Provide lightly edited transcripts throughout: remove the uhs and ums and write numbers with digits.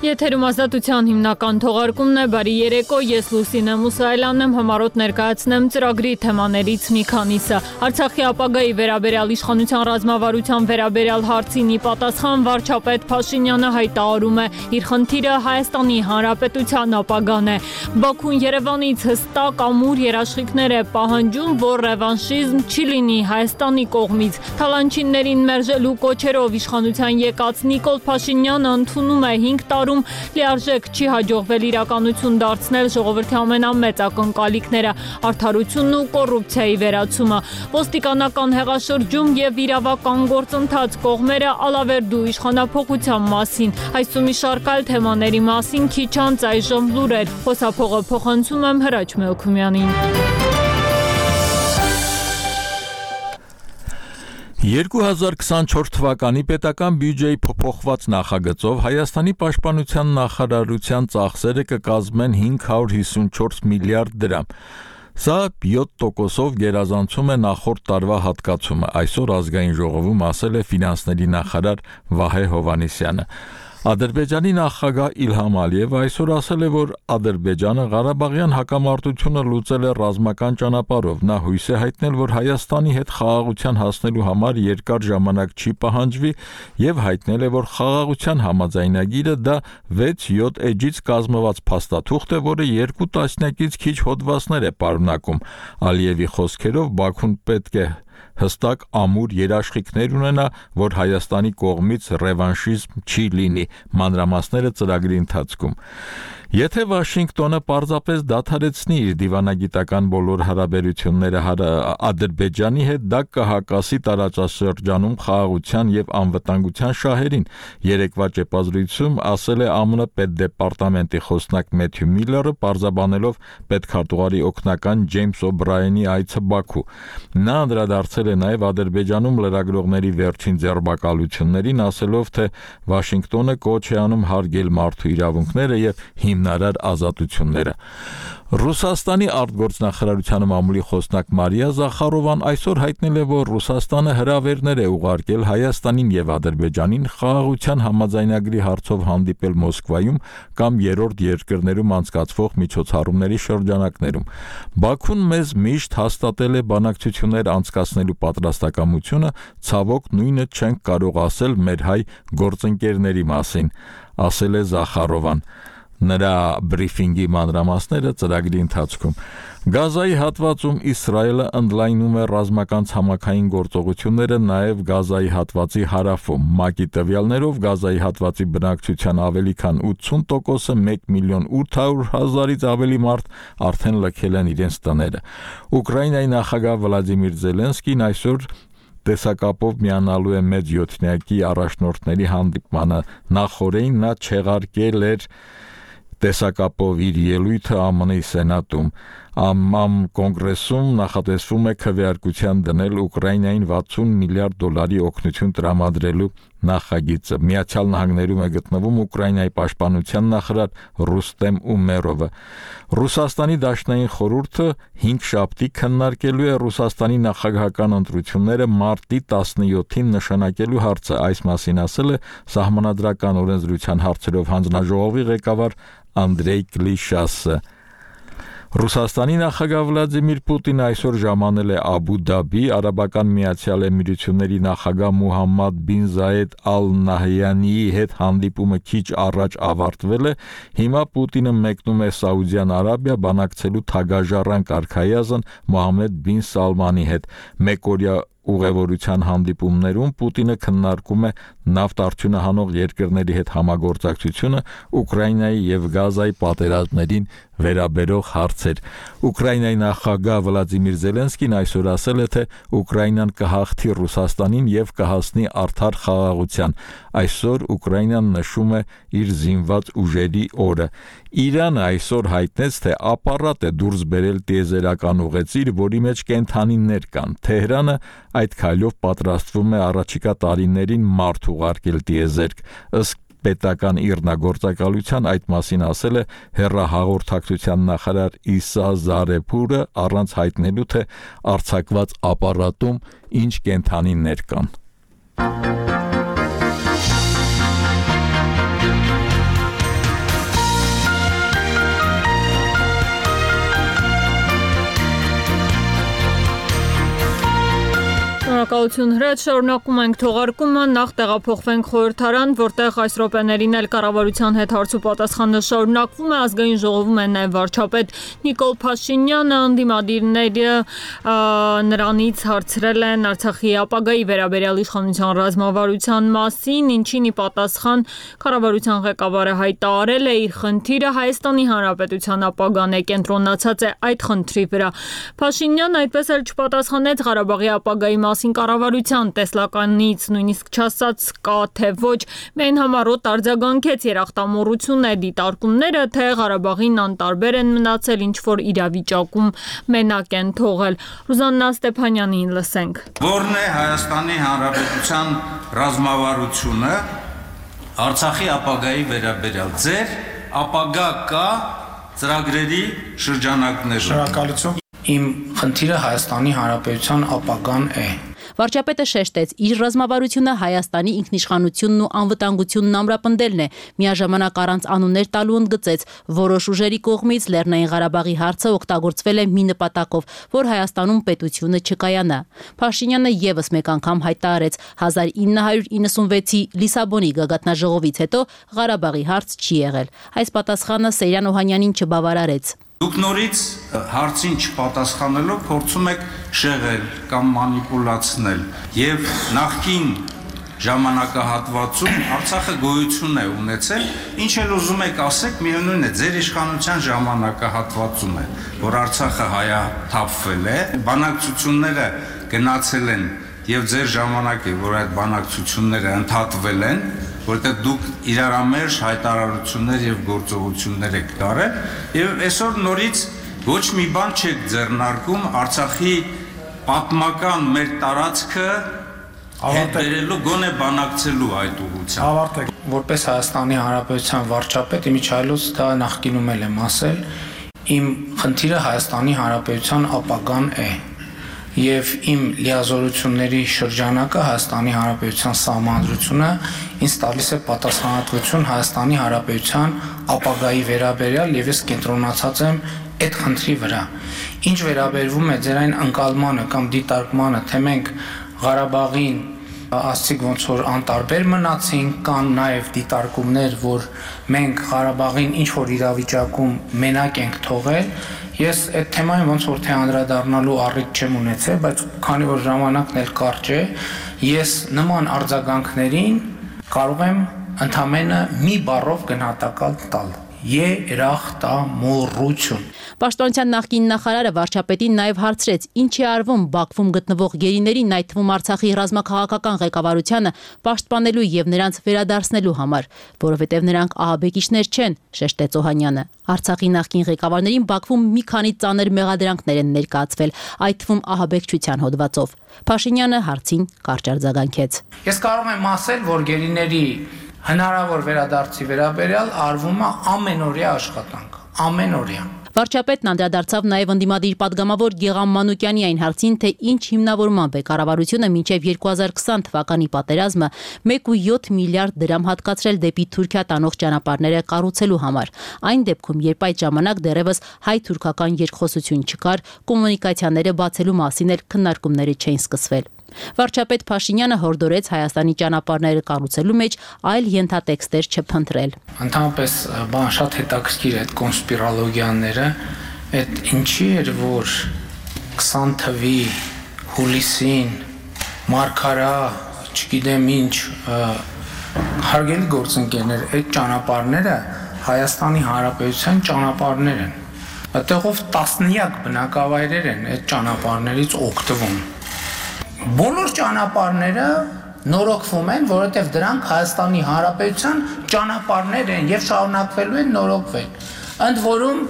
Եթերում ազատության հիմնական թողարկումն է, բարի երեկո, ես Լուսինե Մուսայելյանն եմ, համառոտ ներկայացնեմ ծրագրի թեմաներից մի քանիսը։ Արցախի ապագայի վերաբերյալ իշխանության ռազմավարության վերաբերյալ հարցին ի պատասխան վարչապետ Փաշինյանը հայտարարում է, իր խնդիրը Հայաստանի Հանրապետության ապագան է։ Բաքուն Երևանից հստակ ամուր երաշխիքներ է պահանջում, որ ռևանշիզմ չի լինի Հայաստանի կողմից։ Թալանչիններին մերժելու կոչերով իշխանության եկած Նիկոլ Փաշինյանը ընդունում է 5 տարում լիարժեք չի հաջողվել իրականություն դարձնել ժողովրդի ամենամեծ ակնկալիքները՝ արդարությունն ու կոռուպցիայի վերացումը։ Ոստիկանական հեղաշրջում եւ իրավական գործընթաց կողմերը ալավերդու իշխանափոխության մասին։ Այս ու մի շարք այլ թեմաների մասին քիչ անց այժմ լուրեր։ Խոսափողը փոխանցում եմ Հրաչ Մելքումյանին։ 2024 թվականի պետական բյուջեի փոփոխված նախագծով Հայաստանի պաշտպանության նախարարության ծախսերը կկազմեն 554 միլիարդ դրամ։ Սա 7%-ով գերազանցում է նախորդ տարվա հատկացումը, այսօր ազգային ժողովում ասել է ֆինանսների նախարար Վահե Հովհաննիսյանը։ Ադրբեջանի նախագահ Իլհամ Ալիևը այսօր ասել է, որ Ադրբեջանը Ղարաբաղյան հակամարտությունը լուծել է ռազմական ճանապարհով։ Նա հույս է հայտնել, որ Հայաստանի հետ խաղաղության հասնելու համար երկար ժամանակ չի պահանջվի եւ հայտնել է, որ խաղաղության համաձայնագիրը դա 6-7 էջից կազմված փաստաթուղթ է, որը 2 տասնյակից քիչ հոդվածներ է պարունակում։ Ալիևի խոսքերով Բաքուն պետք է հստակ ամուր երաշխիքներ ունենա, որ Հայաստանի կողմից ռևանշիզմ չի լինի, մանրամասները ծրագրի ընթացքում։ Եթե Վաշինգտոնը պարզապես դադարեցնի իր դիվանագիտական բոլոր հարաբերությունները Ադրբեջանի հետ, դա կհակասի տարածաշրջանում խաղաղության եւ անվտանգության շահերին, երեկվա ճեպազրույցում ասել է ԱՄՆ պետդեպարտամենտի խոսնակ Մեթյու Միլլերը, պարզաբանելով պետքարտուղարի օգնական Ջեյմս Օբրայենի այցը Բաքու։ Նա անդրադարձել է նաեւ Ադրբեջանում լրագրողների վերջին ձերբակալություններին, ասելով, թե Վաշինգտոնը կոչ է անում հարգել մարդու իրավունքները եւ հիմնարար ազատությունները։ Ռուսաստանի արտգործնախարարության մամուլի խոսնակ Մարիա Զախարովան այսօր հայտնել է, որ Ռուսաստանը հրավերներ է ուղարկել Հայաստանին եւ Ադրբեջանին խաղաղության համաձայնագրի հարցով հանդիպել Մոսկվայում կամ երրորդ երկրներում անցկացվող միջոցառումների շրջանակներում։ Բաքուն մեզ միշտ հաստատել է բանակցություններ անցկացնելու պատրաստակամությունը, ցավոք նույնը չենք կարող ասել մեր հայ գործընկերների մասին, ասել է Զախարովան։ Նրա բրիֆինգի մանրամասները ծրագրի ընթացքում։ Գազայի հատվածում Իսրայելը ընդլայնում է ռազմական ցամաքային գործողությունները նաև Գազայի հատվածի հարավում։ ՄԱԿ-ի տվյալներով Գազայի հատվածի բնակչության ավելի քան 80%-ը 1.8 միլիոն ավելի մարդ արդեն լքել են իրենց տները։ Ուկրաինայի նախագահ Վլադիմիր Զելենսկին այսօր տեսակապով միանալու է մեծ յոթնյակի առաջնորդների հանդիպմանը։ Նախորդին նա չեղարկել էր տեսակապով իր ելույթը ԱՄՆ-ի Սենատում։ ԱՄՆ կոնգրեսում նախատեսվում է քվեարկության դնել Ուկրաինային $60 միլիարդ օգնություն տրամադրելու նախագիծը։ Միացյալ Նահանգներում է գտնվում Ուկրաինայի պաշտպանության նախարար Ռուստեմ Ումերովը։ Ռուսաստանի Դաշնային խորհուրդը 5 շաբթի քննարկելու է Ռուսաստանի նախագահական ընտրությունները մարտի 17-ին նշանակելու հարցը։ Այս մասին ասել է Սահմանադրական օրենսդրության հարցերով հանձնաժողովի ղեկավար Անդրեյ Կլիշասը։ Ռուսաստանի նախագահ Վլադիմիր Պուտինը այսօր ժամանել է Աբու Դաբի, Արաբական Միացյալ Էմիրությունների նախագահ Մուհամմադ բին Զայեդ Ալ Նահյանիի հետ հանդիպումը քիչ առաջ ավարտվել է։ Հիմա Պուտինը մեկնում է Սաուդյան Արաբիա բանակցելու թագաժառանգ արքայազն Մոհամմեդ բին Սալմանի հետ։ Մեկօրյա ուղևորության հանդիպումներում Պուտինը քննարկում է նավթ արդյունահանող երկրների հետ համագործակցությունը, Ուկրաինայի եւ Գազայի պատերազմներին վերաբերող հարցեր։ Ուկրաինայի նախագահ Վլադիմիր Զելենսկին այսօր ասել է, թե Ուկրաինան կհաղթի Ռուսաստանին եւ կհասնի արդար խաղաղության։ Այսօր Ուկրաինան նշում է իր զինված ուժերի օրը։ Իրանը այսօր հայտնեց, թե ապարատ է դուրս բերել տիեզերական ուղեծիր, որի մեջ կենդանիներ կան։ Թեհրանը այդ քայլով պատրաստվում է առաջիկա տարիներին մարդ ուղարկել տիեզերք։ Ըստ պետական իռնագործակալության այդ մասին ասել է հեռահաղորդակցության նախարար Իսա Զարեփուրը, առանց հայտնելու, թե արձակված ապարատում ինչ կենդանիներ կան։ Շնորհակալություն հրաց, շարունակում ենք թողարկումը, նախ տեղափոխվենք խորհրդարան, որտեղ այս րոպեներին էլ կառավարության հետ հարց ու պատասխանը շարունակվում է, ազգային ժողովում է նաև վարչապետ Նիկոլ Փաշինյանը, ընդդիմադիրները նրանից հարցրել են Արցախի ապագայի վերաբերյալ իշխանության ռազմավարության մասին, ինչին ի պատասխան կառավարության ղեկավարը հայտարարել է իր խնդիրը Հայաստանի Հանրապետության ապագան է, կենտրոնացած է այդ խնդրի վրա։ Փաշինյանը այդպես էլ չպատասխանեց Ղարաբաղի ապագայի մասին կառավարության տեսլականից, նույնիսկ չասաց կա թե ոչ, միայն համառոտ արձագանքեց երախտամոռություն է դիտարկումները, թե Ղարաբաղին անտարբեր են մնացել, ինչ որ իրավիճակում մենակ են թողել։ Ռուզաննա Ստեփանյանին լսենք։ Որն է Հայաստանի Հանրապետության ռազմավարությունը Արցախի ապագայի վերաբերյալ ձեր ապագա կա ծրագրերի շրջանակներում։ Շնորհակալություն։ Իմ խնդիրը Հայաստանի Հանրապետության ապագան է։ Վարչապետը շեշտեց, իր ռազմավարությունը Հայաստանի ինքնիշխանությունն ու անվտանգությունն ամրապնդելն է, միաժամանակ առանց անուններ տալու ընդգծեց, որոշ ուժերի կողմից Լեռնային Ղարաբաղի հարցը օգտագործվել է մի նպատակով, որ Հայաստանում պետությունը չկայանա։ Փաշինյանը եւս մեկ անգամ հայտարարեց 1996-ի Լիսաբոնի գագաթնաժողովից հետո Ղարաբաղի հարց չի եղել։ Այս պատասխանը Սեյրան Օհանյանին չբավարարեց։ Դուք նորից հարցին չպատասխանելով փորձում եք շեղել կամ մանիպուլացնել եւ նախկին ժամանակահատվածում Արցախը գոյություն է ունեցել, ինչ էլ ուզում եք ասեք, միևնույն է, ձեր իշխանության ժամանակահատվածում է, որ Արցախը հայաթափվել է, բանակցությունները գնացել են եւ ձեր ժամանակ է, որ այդ բանակցությունները ընդհատվել են, որտեղ դուք իրարամերժ հայտարարություններ եւ գործողություններ եք արել եւ այսօր նորից ոչ մի բան չեք ձեռնարկում Արցախի պատմական մեր տարածքը հետերելու գոնե բանակցելու այդ ուղղությամբ։ Ավարտեք։ Որպես Հայաստանի Հանրապետության վարչապետ իմիջայլոց դա նախկինում էլ եմ ասել, իմ խնդիրը Հայաստանի Հանրապետության ապագան է եւ իմ լիազորությունների շրջանակը Հայաստանի Հանրապետության սահմանադրությունը ինձ տալիս է պատասխանատվություն Հայաստանի Հանրապետության ապագայի վերաբերյալ եւ ես կենտրոնացած եմ այդ խնդրի վրա։ Ինչ վերաբերվում է ձեր այն ընկալմանը կամ դիտարկմանը, թե մենք Ղարաբաղին ասցիք ոնց որ անտարբեր մնացին, կան նաև դիտարկումներ, որ մենք Ղարաբաղին ինչ որ իրավիճակում մենակ ենք թողել, ես այդ թեմային ոնց որ թե անդրադառնալու առիթ չեմ ունեցել, բայց քանի որ ժամանակն էլ կարճ է, ես նման արձագանքներին կարող եմ ընդամենը մի բառով գնահատական տալ. երախտամոռություն։ Պաշտպանության նախկին նախարարը վարչապետին նաև հարցրեց, ինչ է արվում Բաքվում գտնվող գերիներին, այդ թվում Արցախի ռազմաքաղաքական ղեկավարությանը պաշտպանելու եւ նրանց վերադարձնելու համար, որովհետեւ նրանք ահաբեկիչներ չեն, շեշտեց Օհանյանը։ Արցախի նախկին ղեկավարներին Բաքվում մի քանի ծանր մեղադրանքներ են ներկայացվել, այդ թվում ահաբեկչության հոդվածով։ Փաշինյանը հարցին կարճ արձագանքեց։ Ես կարող եմ ասել, որ գերիների հնարավոր վերադարձի վերաբերյալ արվում է ամենօրյա աշխատանք, ամենօրյա։ Վարչապետն անդրադարձավ նաև ընդդիմադիր պատգամավոր Գեղամ Մանուկյանի այն հարցին, թե ինչ հիմնավորմամբ է կառավարությունը մինչև 2020 թվականի պատերազմը 1.7 միլիարդ դրամ հատկացրել դեպի Թուրքիա տանող ճանապարհները կառուցելու համար։ Այն դեպքում, երբ այդ ժամանակ դեռևս հայ-թուրքական երկխոսություն չկար, կոմունիկացիաները բացելու մասին էլ քննարկումները չէին սկսվել։ Վարչապետ Փաշինյանը հորդորեց Հայաստանի ճանապարհները կառուցելու մեջ այլ ենթատեքստեր չփնտրել։ Ընդհանրապես բան շատ հետաքրքիր է այդ կոնսպիրոլոգիաները, այդ ինչի էր որ 20 թվականի հուլիսին մարգարա, չգիտեմ ինչ, հարգելի գործընկերներ, այդ ճանապարհները Հայաստանի Հանրապետության ճանապարհներ են։ Այդտեղով տասնյակ բնակավայրեր են այդ ճանապարհներից օգտվում։ Բոլոր ճանապարհները նորոգվում են, որովհետև դրանք Հայաստանի Հանրապետության ճանապարհներ են եւ շարունակվելու են նորոգվել։ Ընդ որում,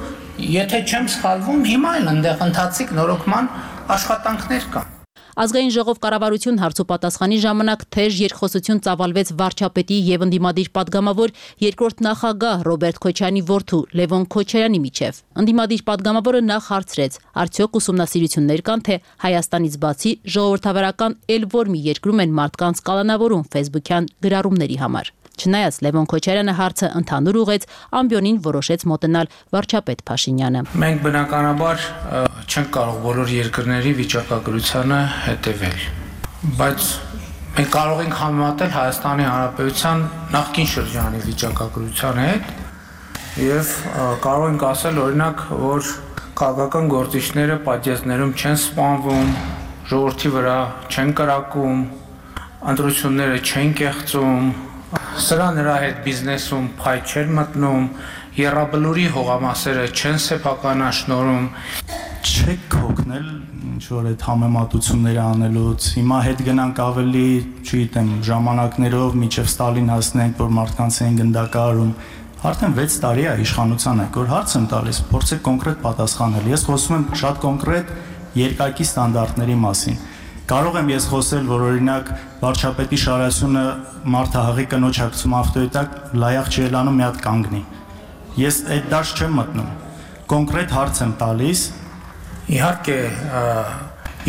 եթե չեմ սխալվում, հիմա էլ այնտեղ ընթացիկ նորոգման աշխատանքներ կան։ Ազգային ժողով կառավարություն հարցոպատասխանի ժամանակ թեժ երկխոսություն ծավալվեց վարչապետի եւ ընդդիմադիր պատգամավոր երկրորդ նախագահ Ռոբերտ Քոչարյանի որդու Լևոն Քոչարյանի միջև։ Ընդդիմադիր պատգամավորը նախ հարցրեց. արդյոք ուսումնասիրություններ կան, թե Հայաստանից բացի ժողովրդավարական էլ որ մի երկրում են մարդկանց կալանավորում ֆեյսբուքյան գրառումների համար։ Չնայած Լևոն Քոչարյանը հարցը ընդհանուր ուղեց, ամբիոնին որոշեց մոտենալ վարչապետ Փաշինյանը։ Մենք բնականաբար չենք կարող բոլոր երկրների վիճակագրությանը հետևել։ բայց մենք կարող ենք համեմատել Հայաստանի Հանրապետության նախկին շրջանի վիճակագրության հետ եւ կարող ենք ասել օրինակ, որ քաղաքական գործիչները պատժեզներում չեն սպանվում, ժողովրդի վրա չեն կրակում, ընտրությունները չեն կեղծում, սրա նրա հետ բիզնեսում փայ չեն մտնում, եռաբլուրի հողամասերը չեն սեփականաշնորհում։ Չեք հոգնել ինչ-որ այդ համեմատությունները անելուց, հիմա հետ գնանք ավելի, չգիտեմ, ժամանակներով մինչև Ստալին հասնենք, որ մարդկանց են գնդակահարում, արդեն 6 տարի է իշխանության եք, որ հարց եմ տալիս, փորձեք կոնկրետ պատասխանել, ես խոսում եմ շատ կոնկրետ երկակի ստանդարտների մասին, կարող եմ ես խոսել, որ օրինակ վարչապետի շարասյունը մարդահաղի կնոջ հագցում ավտոյետակ լայախ չի ելանում մի հատ կանգնի, ես այդ դաշտ չեմ մտնում, կոնկրետ հարց եմ տալիս. Իհարկե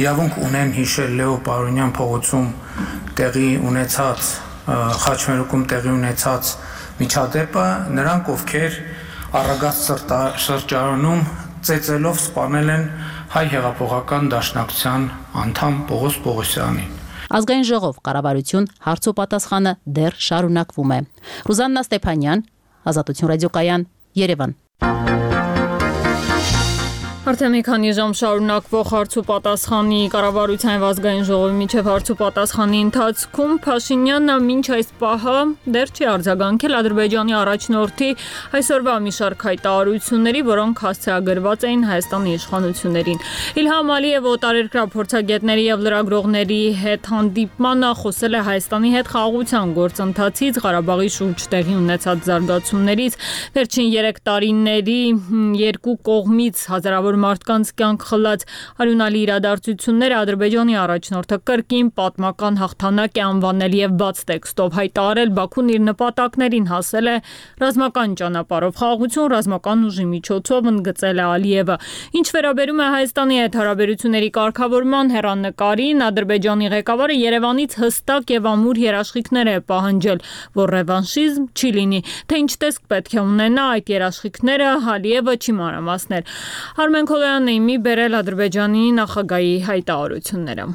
իրավունք ունեն հիշել Լեո Պարոնյան փողոցում տեղի ունեցած խաչմերուկում տեղի ունեցած միջադեպը նրանք ովքեր առագած սրճարանում ծեծելով սպանել են հայ հեղափոխական դաշնակցության անդամ Պողոս Պողոսյանին։ Ազգային ժողով կառավարություն հարց ու պատասխանը դեռ շարունակվում է։ Ռուզաննա Ստեփանյան, Ազատություն ռադիոկայան, Երևան։ Արդեն մի քանի ժամ շարունակվող հարց ու պատասխանի կառավարության ազգային ժողովի միջև հարց ու պատասխանի ընթացքում Փաշինյանը մինչ այս պահը դեռ չի արձագանքել Ադրբեջանի առաջնորդի այսօրվա մի շարք հայտարարությունների, որոնք հասցեագրված էին Հայաստանի իշխանություններին։ Իլհամ Ալիևը օտարերկրյա փորձագետների եւ լրագրողների հետ հանդիպմանը խոսել է Հայաստանի հետ խաղաղության գործընթացից, Ղարաբաղի շուրջ տեղի ունեցած զարգացումներից, վերջին 3 տարիների երկու կողմից հազարավոր մարդկանց կյանք խլած արյունալի իրադարձությունները Ադրբեջանի առաջնորդը կրկին պատմական հաղթանակ է անվանել եւ բաց տեքստով հայտարարել Բաքուն իր նպատակներին հասել է ռազմական ճանապարհով խաղաղություն ռազմական ուժի միջոցով ընդգծել է Ալիևը ինչ վերաբերում է Հայաստանի հետ հարաբերությունների կարգավորման հեռանկարին Ադրբեջանի ղեկավարը Երևանից հստակ եւ ամուր երաշխիքներ է պահանջել որ ռևանշիզմ չի լինի թե ինչ տեսք պետք է ունենա այդ երաշխիքները Ալիևը չի մանրամասնել Արմեն Քոլոյանն իմի բերել Ադրբեջանի նախագահի հայտարարությունները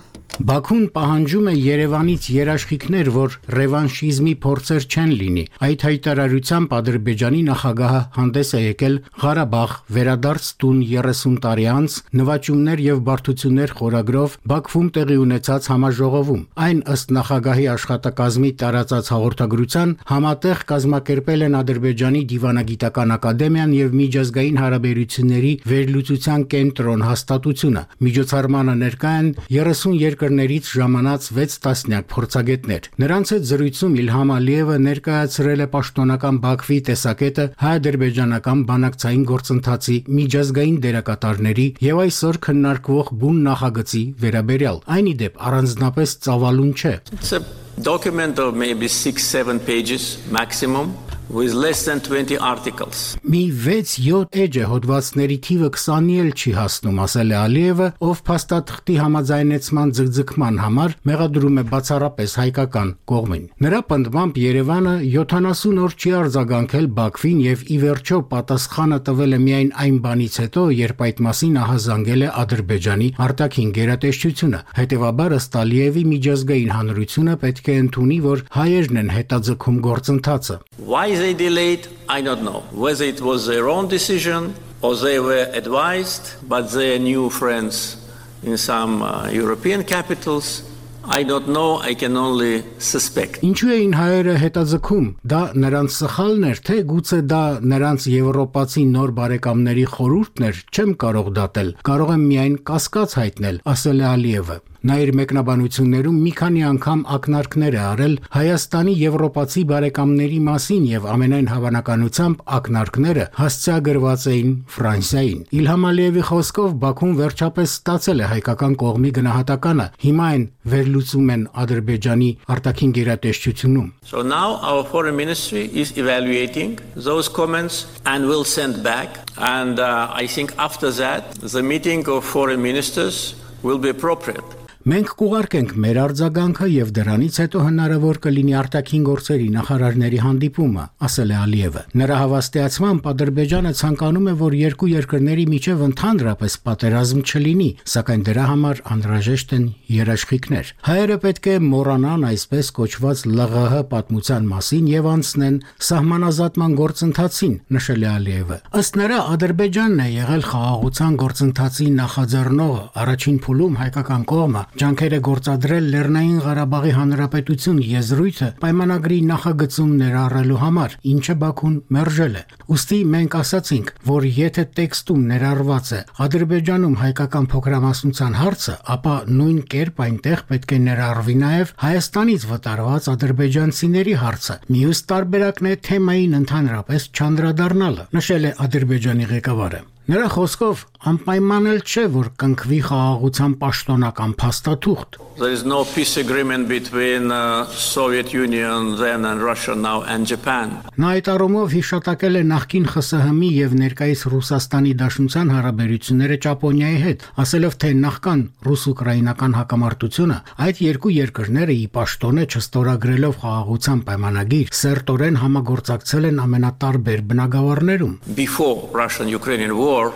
Բաքուն պահանջում է Երևանից երաշխիքներ, որ ռևանշիզմի փորձեր չեն լինի։ Այդ հայտարարությամբ Ադրբեջանի նախագահը հանդես է եկել Ղարաբաղ վերադարձ տուն 30 տարի անց նվաճումներ եւ բարդություններ խորագրով Բաքվում տեղի ունեցած համաժողովում։ Այն ըստ նախագահի աշխատակազմի տարածած հաղորդագրության համատեղ կազմակերպել են Ադրբեջանի դիվանագիտական ակադեմիան եւ միջազգային հարաբերությունների վերլուծության կենտրոն հաստատությունը։ Միջոցառմանը ներկա են 30 երկրներից ժամանած 6 տասնյակ փորձագետներ։ Նրանց հետ զրույցում Իլհամ Ալիևը ներկայացրել է պաշտոնական Բաքվի տեսակետը հայ-ադրբեջանական բանակցային գործընթացի միջազգային դերակատարների եւ այսօր քննարկվող բուն նախագծի վերաբերյալ։ Այն ի դեպ առանձնապես ծավալուն չէ։ It's a document of maybe 6-7 pages maximum. With less than 20 articles. Մի 6-7 էջ է հոդվածների թիվը 20-ի էլ չի հասնում, ասել է Ալիևը, ով փաստաթղթի համաձայնեցման ձգձգման համար մեղադրում է բացառապես հայկական կողմին։ Նրա պնդմամբ Երևանը 70 օր չի արձագանքել Բաքվին եւ ի վերջո պատասխանը տվել է միայն այն բանից հետո, երբ այդ մասին ահազանգել է Ադրբեջանի արտաքին գերատեսչությունը։ Հետևաբար ըստ Ալիևի միջազգային հանրությունը պետք է ընդունի, որ հայերն են հետաձգում գործընթացը։ Why they delayed, I don't know. Whether it was their own decision or they were advised, but their new friends in some European capitals, I don't know, I can only suspect. Ինչու էին հայերը հետաձգում? Դա նրանց սխալն էր, թե գուցե դա նրանց եվրոպացի նոր բարեկամների խորհուրդն էր, չեմ կարող դատել։ Կարող եմ միայն կասկած հայտնել, ասել է Ալիևը։ Նա իր մեկնաբանություններում մի քանի անգամ ակնարկներ է արել Հայաստանի եվրոպացի բարեկամների մասին եւ ամենայն հավանականությամբ ակնարկները հասցեագրված էին Ֆրանսիային։ Իլհամ Ալիևի խոսքով Բաքուն վերջապես ստացել է հայկական կողմի գնահատականը։ Հիմա այն վերլուծում են Ադրբեջանի արտաքին գերատեսչությունում։ So now our foreign ministry is evaluating those comments and will send back and I think after that the meeting of foreign ministers will be appropriate. Մենք կուղարկենք մեր արձագանքը եւ դրանից հետո հնարավոր կլինի արտաքին գործերի նախարարների հանդիպումը, ասել է Ալիևը։ Նրա հավաստիացմամբ Ադրբեջանը ցանկանում է, որ երկու երկրների միջև ընդհանրապես պատերազմ չլինի, սակայն դրա համար անհրաժեշտ են երաշխիքներ։ Հայերը պետք է մոռանան այսպես կոչված ԼՂՀ պատմության մասին եւ անցնեն սահմանազատման գործընթացին, նշել է Ալիևը։ Ըստ նրա Ադրբեջանն է եղել խաղաղության գործընթացի նախաձեռնողը, առաջին փուլում հայկական կողմը ջանքեր է գործադրել Լեռնային Ղարաբաղի Հանրապետություն եզրույթը պայմանագրի նախագծում ներառելու համար, ինչը Բաքուն մերժել է։ Ուստի մենք ասացինք, որ եթե տեքստում ներառված է Ադրբեջանում հայկական փոքրամասնության հարցը, ապա նույն կերպ այնտեղ պետք է ներառվի նաև Հայաստանից վտարված ադրբեջանցիների հարցը։ Մյուս տարբերակն է թեմային ընդհանրապես չանդրադառնալը, նշել է Ադրբեջանի ղեկավարը։ Նրա խոսքով անպայման էլ չէ, որ կնքվի խաղաղության պաշտոնական փաստաթուղթ։ There is no peace agreement between Soviet Union then and Russia now and Japan. Նա այդ առումով հիշատակել է նախկին ԽՍՀՄ-ի եւ ներկայիս Ռուսաստանի Դաշնության հարաբերությունները Ճապոնիայի հետ, ասելով, թե նախքան ռուս-ուկրաինական հակամարտությունը այդ երկու երկրները ի պաշտոնե չստորագրելով խաղաղության պայմանագիր, սերտորեն համագործակցել են ամենատարբեր բնագավառներում։ Before Russian-Ukrainian war,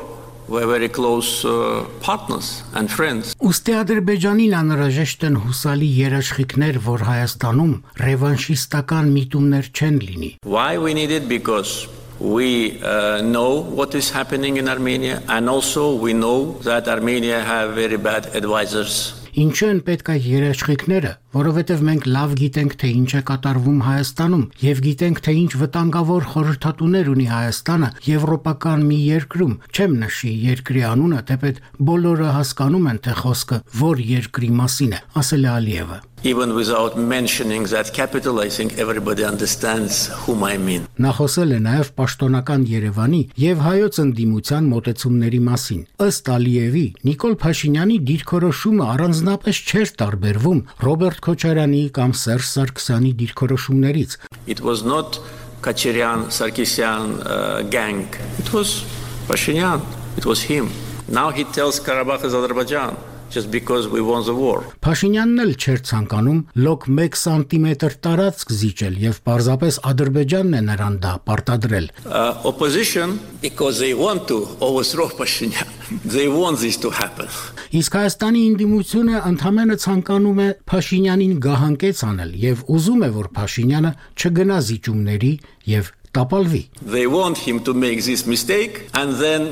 were very close partners and friends. Ուստի Ադրբեջանին անհրաժեշտ են հուսալի երաշխիքներ, որ Հայաստանում ռևանշիստական միտումներ չեն լինի։ Why we need it? Because we know what is happening in Armenia, and also we know that Armenia have very bad advisors. Ինչու են պետք այդ երաշխիքները, որովհետև մենք լավ գիտենք, թե ինչ է կատարվում Հայաստանում եւ գիտենք, թե ինչ վտանգավոր խորհրդատուներ ունի Հայաստանը եվրոպական մի երկրում։ Չեմ նշի երկրի անունը, թեպետ բոլորը հասկանում են, թե խոսքը որ երկրի մասին է, ասել է Ալիևը։ Even without mentioning that capital, I think everybody understands whom I mean. Նա խոսել է նաև պաշտոնական Երևանի եւ հայոց ընդդիմության մոտեցումների մասին։ Ըստ Ալիևի, Նիկոլ Փաշինյանի դիրքորոշումը առանձնապես չէր տարբերվում Ռոբերտ Քոչարյանի կամ Սերժ Սարգսյանի դիրքորոշումներից։ It was not Kacharyan-Sarkisyan gang. It was Pashinyan. It was him. Now he tells Karabakh is Azerbaijan. Just because we won the war. Փաշինյանն էլ չէր ցանկանում լոկ 1 սանտիմետր տարածք զիջել եւ պարզապես Ադրբեջանն է նրան դա պարտադրել։ Opposition because they want to overthrow Pashinyan. They want this to happen. Իսկ Հայաստանի ընդդիմությունը ընդհանրապես ցանկանում է Փաշինյանին գահանկեց անել եւ ուզում է, որ Փաշինյանը չգնա զիջումների եւ տապալվի։ They want him to make this mistake and then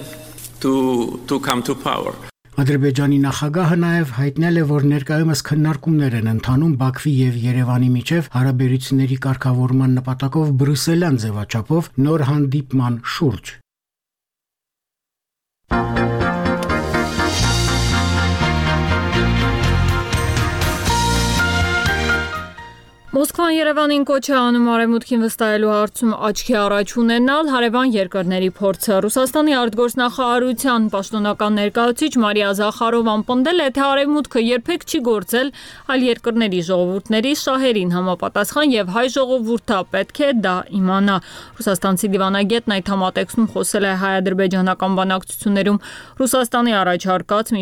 to come to power. Ադրբեջանի նախագահը նաև հայտնել է, որ ներկայումս քննարկումներ են ընթանում Բաքվի եւ Երևանի միջև հարաբերությունների կարգավորման նպատակով բրյուսելյան ձևաչափով նոր հանդիպման շուրջ։ Մոսկվան Երևանին կոչ է անում արևմուտքին վստահելու հարցում աչքի առաջ ունենալ հարևան երկրների փորձը։ Ռուսաստանի արտգործնախարարության պաշտոնական ներկայացուցիչ Մարիա Զախարովան պնդել է, թե արևմուտքը երբեք չի գործել այլ երկրների ժողովուրդների շահերին համապատասխան եւ հայ ժողովուրդը պետք է դա իմանա։ Ռուսաստանցի դիվանագետն այդ համատեքստում խոսել է հայ-ադրբեջանական բանակցություններում Ռուսաստանի առաջարկած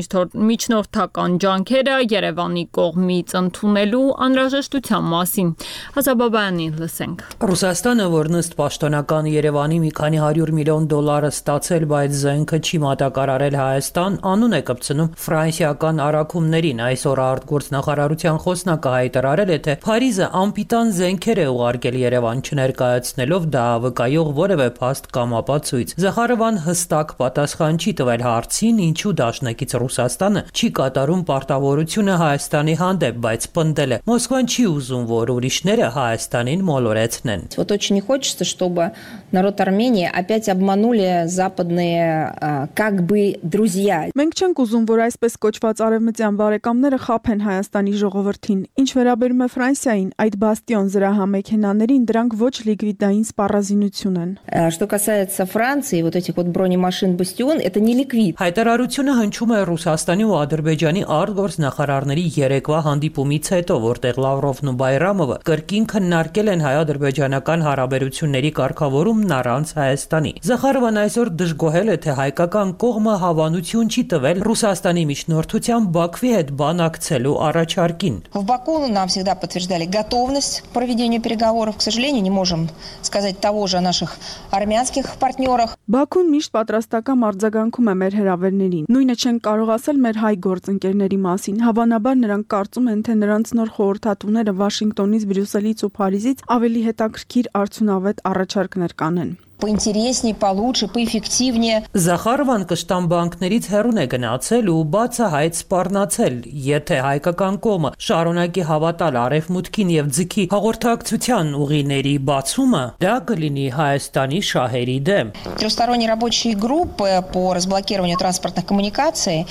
միջնորդական ջանքերը Երևանի կողմից ընդունելու անհրաժեշտության մասին։ Հազաբաբայանի լսենք։ Ռուսաստանը, որն ըստ պաշտոնական Երևանի մի քանի 100 միլիոն դոլար ստացել, բայց զենքը չի մատակարարել Հայաստան, անուն է կպցնում ֆրանսիական առաքումներին։ Այսօր արտգործնախարարության խոսնակը հայտարարել է, թե Փարիզը անպիտան զենքեր է ուղարկել Երևան, չներկայացնելով դա վկայող որևէ փաստ կամ ապացույց։ Զախարովան հստակ պատասխան չի տվել հարցին, ինչու դաշնակից Ռուսաստանը չի կատարում պարտավորությունը Հայաստանի հանդեպ, բայց պնդել է. Մոսկվան չի ուզում, որ ուրիշները Հայաստանին մոլորեցնեն։ Вот очень не хочется, чтобы народ Армении опять обманули западные как бы друзья. Մենք չենք ուզում, որ այսպես կոչված արևմտյան բարեկամները խաբեն Հայաստանի ժողովրդին։ Ինչ վերաբերում է Ֆրանսիային, այդ բաստիոն զրահամեքենաներին դրանք ոչ լիկվիդային սպառազինություն են։ Что касается Франции, вот этих вот бронемашин «Бастион», это не ликвид. Հայտարարությունը հնչում է Ռուսաստանի ու Ադրբեջանի արտգործնախարարների երեկվա հանդիպումից հետո, որտեղ Լավրովն ու Բայրամովը կրկին քննարկել են հայ-ադրբեջանական հարաբերությունների կարգավորումն ստացումն առանց Հայաստանի։ Զախարովան այսօր դժգոհել է, թե հայկական կողմը հավանություն չի տվել Ռուսաստանի միջնորդությամբ Բաքվի հետ բանակցելու առաջարկին։ В Баку нам всегда подтверждали готовность к проведению переговоров. К сожалению, не можем сказать того же о наших армянских партнерах. Բաքուն միշտ պատրաստական արձագանքում է մեր հրավերներին։ Նույնը չեն կարող ասել մեր հայ գործընկերների մասին։ Հավանաբար նրանք կարծում են, թե նրանց նոր խորհրդատուները Վաշինգտոնից, Բրյուսելից ու Փարիզից ավելի հետաքրքիր արդյունավետ առաջարկներ կանեն։ Поинтереснее, получше, поэффективнее. Զախարովան կշտամ բանկներից հեռուն է գնացել ու բացահայտ սպառնացել, եթե հայկական կողմը շարունակի հավատալ արևմուտքին եւ ձգի հաղորդակցության ուղիների բացումը, դա կլինի Հայաստանի շահերի դեմ։ Трехсторонние рабочие группы по разблокированию транспортных коммуникаций.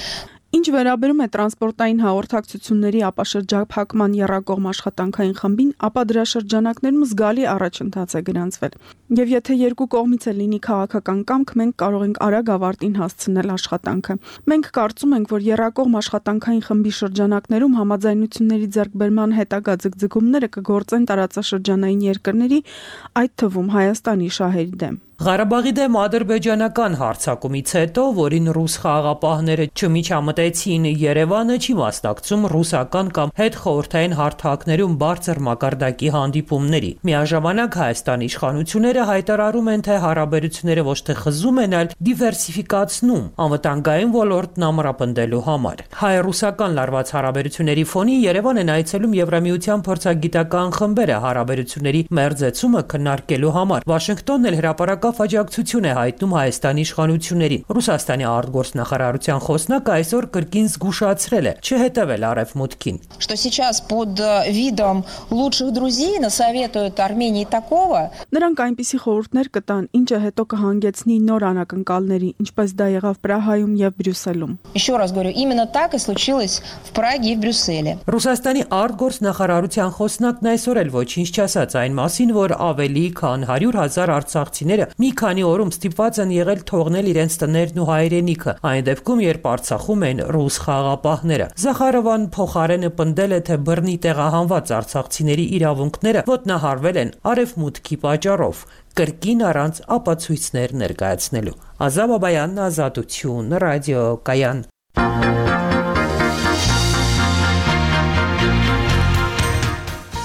Ինչ վերաբերում է տրանսպորտային հաղորդակցությունների ապաշրջափակման եռակողմ աշխատանքային խմբին, ապա դրա շրջանակներում զգալի առաջընթաց է գրանցվել։ Եվ եթե երկու կողմից է լինի քաղաքական կամք, մենք կարող ենք արագ ավարտին հասցնել աշխատանքը։ Մենք կարծում ենք, որ եռակողմ աշխատանքային խմբի շրջանակներում համաձայնությունների ձեռքբերման հետագա ձգձգումները կգործեն տարածաշրջանային երկրների, այդ թվում Հայաստանի շահերի դեմ։ Ղարաբաղի դեմ ադրբեջանական հարձակումից հետո, որին ռուս խաղաղապահները չմիջամտեցին, Երևանը չի մասնակցում ռուսական կամ հետխորհրդային հարթակներում բարձր մակարդակի հանդիպումների։ Միաժամանակ Հայաստանի իշխանությունները հայտարարում են, թե հարաբերությունները ոչ թե խզում են, այլ դիվերսիֆիկացնում անվտանգային ոլորտն ամրապնդելու համար։ Հայ-ռուսական լարված հարաբերությունների ֆոնին Երևան են այցելում Եվրամիության փորձագիտական խմբերը հարաբերությունների մերձեցումը քննարկելու համար։ Վաշինգտոնն էլ հրապարակավ աջակցություն է հայտնում Հայաստանի իշխանություններին։ Ռուսաստանի արտգործնախարարության խոսնակը այսօր կրկին զգուշացրել է չհետևել արևմուտքին։ Что сейчас под видом лучших друзей насоветуют Армении такого. Նրանք այնպիսի խորհուրդներ կտան, ինչը հետո կհանգեցնի նոր անակնկալների, ինչպես դա եղավ Պրահայում եւ Բրյուսելում։ Еще раз говорю, именно так и случилось в Праге и в Брюсселе. Ռուսաստանի արտգործնախարարության խոսնակն այսօր էլ ոչինչ չասաց այն մասին, որ ավելի քան 100,000 արցախցիները մի քանի օրում ստիպված են եղել թողնել իրենց տներն ու հայրենիքը, այն դեպքում, երբ Արցախում են ռուս խաղաղապահները։ Զախարովան փոխարենը պնդել է, թե բռնի տեղահանված արցախցիների իրավունքները ոտնահարվել են արևմուտքի պատճառով, կրկին առանց ապացույցներ ներկայացնելու։ Ազատ Բաբայան, Ազատություն, ռադիո Կայան։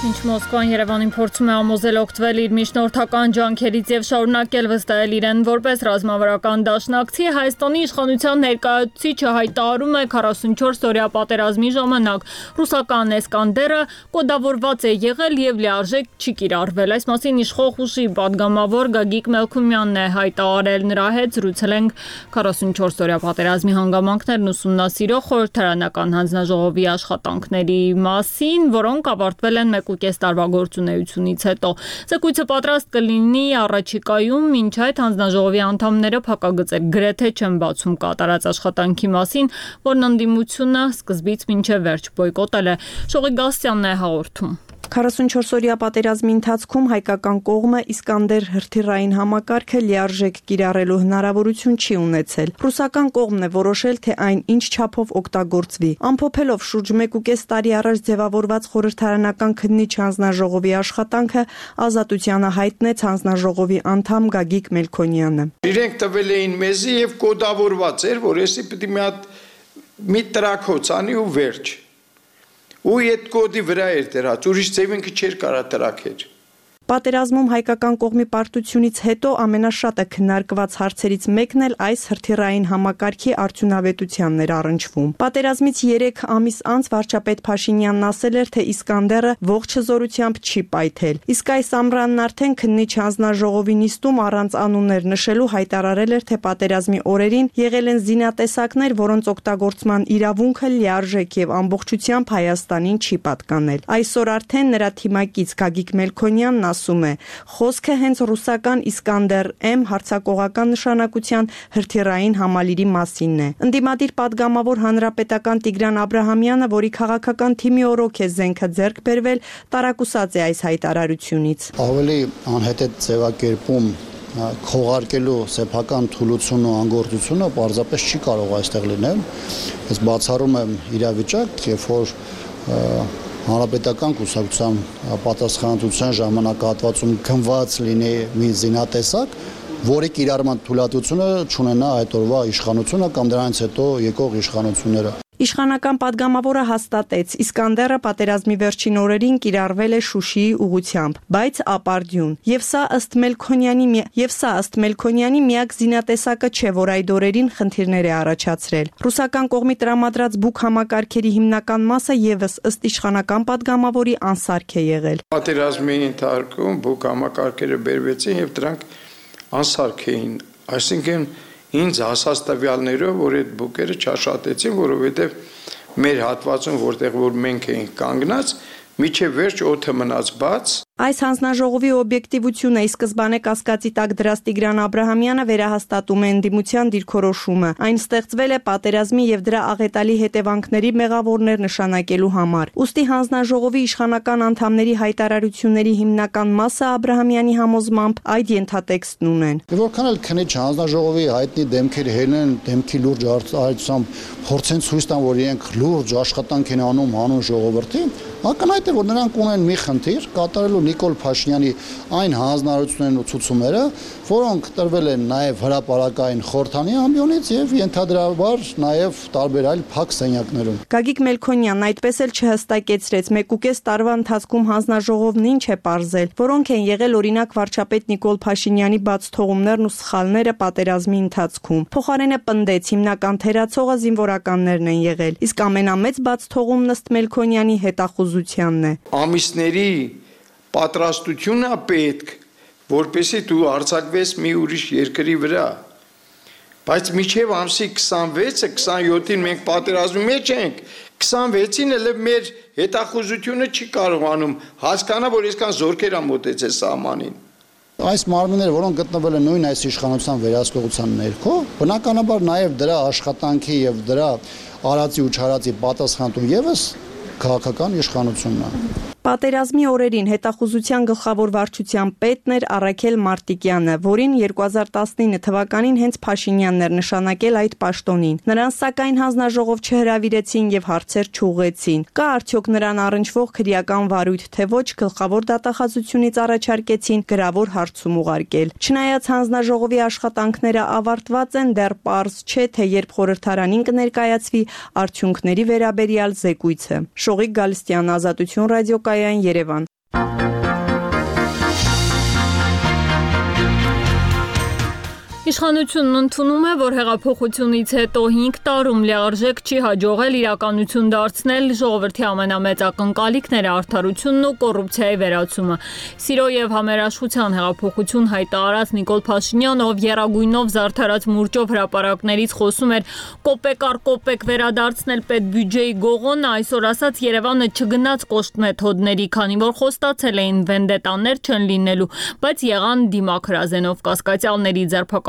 Ինչ Մոսկվան Երևանին փորձում է համոզել օգտվել իր միջնորդական ջանքերից եւ շարունակել վստահել իրեն որպես ռազմավարական դաշնակցի, Հայաստանի իշխանության ներկայացուցիչը հայտարարում է 44-օրյա պատերազմի ժամանակ ռուսական Էսկանդերը կոդավորված է եղել եւ լիարժեք չի կիրառվել։ Այս մասին իշխող ուժի պատգամավոր Գագիկ Մելքումյանն է հայտարարել, նրա հետ զրուցել ենք 44-օրյա պատերազմի հանգամանքներն ուսումնասիրող խորհրդարանական հանձնաժողովի աշխատանքների մասին, որոնք ավարտվել են 1.5 տարվա գործունեությունից հետո։ Զեկույցը պատրաստ կլինի առաջիկայում, մինչ այդ հանձնաժողովի անդամները փակագծեր գրեթե չեն բացում կատարած աշխատանքի մասին, որն ընդդիմությունը սկզբից մինչև վերջ բոյկոտել է։ Շողի Գասյանն է հաղորդում։ 44-օրյա պատերազմի ընթացքում հայկական կողմը Իսկանդեր հրթիռային համակարգը լիարժեք կիրառելու հնարավորություն չի ունեցել։ Ռուսական կողմն է որոշել, թե այն ինչ չափով օգտագործվի։ Ամփոփելով շուրջ 1.5 տարի առաջ ձևավորված խորհրդարանական քննիչ հանձնաժողովի աշխատանքը, Ազատությանը հայտնեց հանձնաժողովի անդամ Գագիկ Մելքոնյանը։ Իրենք տվել էին մեզի եւ կոդավորված էր, որ էսի պիտի մի տրակոց անի ու վերջ։ Ու այդ կոդի վրա էր դրած, ուրիշ ձևինքը չէր կարա տրակեր։ Պատերազմում հայկական կողմի պարտությունից հետո ամենաշատը քննարկված հարցերից մեկն էլ այս հրթիռային համակարգի արդյունավետությանն էր առնչվում։ Պատերազմից 3 ամիս անց վարչապետ Փաշինյանն ասել էր, թե Իսկանդերը ողջ հզորությամբ չի պայթել։ Իսկ այս ամռանն արդեն քննիչ հանձնաժողովի նիստում առանց անուններ նշելու հայտարարել էր, թե պատերազմի օրերին եղել են զինատեսակներ, որոնց օգտագործման իրավունքը լիարժեք եւ ամբողջությամբ Հայաստանին չի պատկանել։ Այսօր արդեն նրա թիմակից Գագիկ Մելքոնյանն ասում է, խոսքը հենց ռուսական Իսկանդեր-M հարձակողական նշանակության հրթիռային համալիրի մասինն է։ Ընդդիմադիր պատգամավոր հանրապետական Տիգրան Աբրահամյանը, որի քաղաքական թիմի օրոք է զենքը ձեռք բերվել, տարակուսած է այս հայտարարությունից։ Ավելի անհետետ ձևակերպում քողարկելու սեփական թուլությունը ու անգործությունը պարզապես չի կարող այստեղ լինել։ Ես բացառում եմ իրավիճակ, երբ որ հանրապետական կուսակցության պատասխանատվության ժամանակահատվածում գնված լինի մի զինատեսակ, որի կիրառման թույլատվությունը չունենա այդ օրվա իշխանությունը կամ դրանից հետո եկող իշխանությունները։ Իշխանական падգամավորը հաստատեց, Իսկանդերը պատերազմի վերջին օրերին կիրառվել է Շուշիի ուղությամբ, բայց ապարդյուն։ Եվ սա ըստ Մելքոնյանի միակ զինատեսակը չէ, որ այդ օրերին խնդիրներ է առաջացրել։ Ռուսական կողմի տրամադրած բուկ համակարգերի հիմնական մասը եւս ըստ իշխանական падգամավորի անսարք է եղել։ Պատերազմի ընթացքում բուկ համակարգերը բերվեցին եւ դրանք անսարք էին, այսինքն ինձ հասած տվյալներով, որ այդ բուկերը չաշատեցին, որովհետև մեր հատվածում, որտեղ որ մենք էինք կանգնած, միջև վերջ օդը մնաց բաց։ Այս հանձնաժողովի օբյեկտիվությունը ի սկզբանե կասկածի տակ դրած Տիգրան Աբրահամյանը վերահաստատում է ընդդիմության դիրքորոշումը։ Այն ստեղծվել է պատերազմի եւ դրա աղետալի հետևանքների մեղավորներ նշանակելու համար։ Ուստի հանձնաժողովի իշխանական անդամների հայտարարությունների հիմնական մասը Աբրահամյանի համոզմամբ այդ ենթատեքստն ունեն։ Որքան էլ քնիչ հանձնաժողովի հայտնի դեմքեր հելեն, դեմքի լուրջ արտահայտությամբ փորձեն ցույց տան, որ իրենք լուրջ աշխատանք են անում հանուն ժողովրդի, ակնհայտ է, որ նրանք ունեն մի խնդիր կատարելու Նիկոլ Փաշինյանի այն հանձնարարություններն ու ցուցումները, որոնք տրվել են նաև հրապարակային խորհրդանի ամբիոնից եւ ենթադրաբար նաև տարբեր այլ փակ սենյակներում։ Գագիկ Մելքոնյանն այդպես էլ չհստակեցրեց 1.5 տարվա ընթացքում հանձնաժողովն ինչ է պարզել, որոնք են եղել օրինակ վարչապետ Նիկոլ Փաշինյանի բաց թողումներն ու սխալները պատերազմի ընթացքում։ Փոխարենը պնդեց հիմնական թերացողը զինվորականներն են եղել, իսկ ամենամեծ բաց թողումն ըստ Մելքոնյանի հետախուզությանն է։ Ամիսների պատրաստությունն է պետք, որպեսզի դու արձակվես մի ուրիշ երկրի վրա, բայց միջև ամսի 26-ը 27-ին մենք պատերազմի մեջ ենք, 26-ին էլ մեր հետախուզությունը չի կարողանում հասկանալ, որ այսքան զորքեր մոտեցել սահմանին։ Այս մարմինները, որոնք գտնվել են նույն այս իշխանության վերահսկողության ներքո, բնականաբար նաև դրա աշխատանքի եւ դրա արածի ու չարածի պատասխանատու եւս քաղաքական իշխանությունն է։ Պատերազմի օրերին հետախուզության գլխավոր վարչության պետն էր Առաքել Մարտիկյանը, որին 2019 թվականին հենց Փաշինյանն էր նշանակել այդ պաշտոնին։ Նրան սակայն հանձնաժողով չհրավիրեցին եւ հարցեր չուղղեցին։ Կա արդյոք նրան առնչվող քրեական վարույթ, թե ոչ, գլխավոր դատախազությունից առաջարկեցին գրավոր հարցում ուղարկել։ Չնայած հանձնաժողովի աշխատանքները ավարտված են, դեռ պարզ չէ, թե երբ խորհրդարանին կներկայացվի արդյունքների վերաբերյալ զեկույցը։ Շողիկ Գալստյան, Ազատություն ռադիոկայան, Երևան։ Իշխանությունն ընդունում է, որ հեղափոխությունից հետո 5 տարում լիարժեք չի հաջողել իրականություն դարձնել ժողովրդի ամենամեծ ակնկալիքները արդարությունն ու կոռուպցիայի վերացումը։ Սիրո եւ համերաշխության հեղափոխություն հայտարարած Նիկոլ Փաշինյանը, ով եռագույնով զարդարած մուրճով հրապարակներից խոսում էր կոպեկ առ կոպեկ վերադարձնել պետբյուջեի գողոնը, այսօր ասած Երևանը չգնաց կոշտ մեթոդների, քանի որ խոստացել էին վենդետաներ չեն լինելու, բայց եղան դիմակրազենով կասկածյալների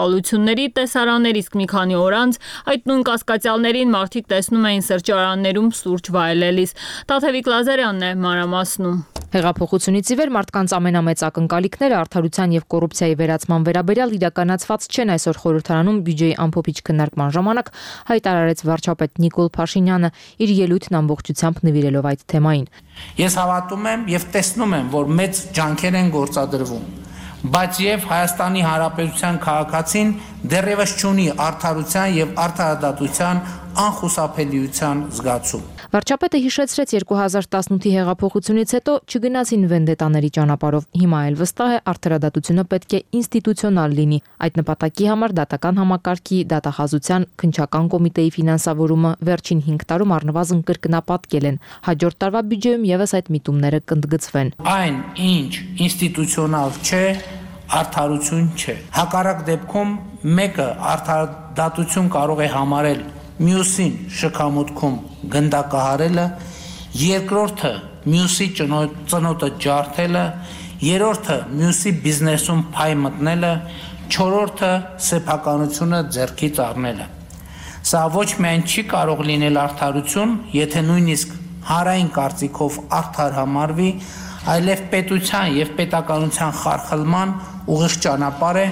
ձերբակալությունների տեսարաններ, իսկ մի քանի օր անց այդ նույն կասկածյալներին մարդիկ տեսնում էին սրճարաններում սուրճ վայելելիս։ Տաթևիկ Լազարյանն է մանրամասնում։ Հեղափոխությունից ի վեր մարդկանց ամենամեծ ակնկալիքները արդարության եւ կոռուպցիայի վերացման վերաբերյալ իրականացված չեն, այսօր խորհրդարանում բյուջեի ամփոփիչ քննարկման ժամանակ հայտարարեց վարչապետ Նիկոլ Փաշինյանը իր ելույթն ամբողջությամբ նվիրելով այդ թեմային։ Ես հավատում եմ եւ տեսնում եմ, որ մեծ ջանքեր են գործադրվում, բայց եւ Հայաստանի Հանրապետության քաղաքացին դեռևս չունի արդարության եւ արդարադատության անխուսափելիության զգացում։ Վարչապետը հիշեցրեց 2018-ի հեղափոխությունից հետո չգնացին վենդետաների ճանապարհով։ Հիմա էլ վստահ է արդարադատությունը պետք է ինստիտուցիոնալ լինի։ Այդ նպատակի համար դատական համակարգի, դատախազության, քննչական կոմիտեի ֆինանսավորումը վերջին 5 տարում առնվազն կրկնապատկել են։ Հաջորդ տարվա բյուջեում եւս այդ միտումները կընդգծվեն։ Այն, ինչ ինստիտուցիոնալ չէ, արդարություն չէ։ Հակառակ դեպքում մեկը արդարադատություն կարող է համարել մյուսին շքամուտքում գնդակահարելը, երկրորդը մյուսի ծնոտը ջարդելը, երրորդը մյուսի բիզնեսում փայ մտնելը, չորրորդը սեփականությունը ձեռքից առնելը։ Սա ոչ միայն չի կարող լինել արդարություն, եթե նույնիսկ հանրային կարծիքով արդար համարվի, այլև պետության եւ պետականության խարխլման ուղիղ ճանապարհ է։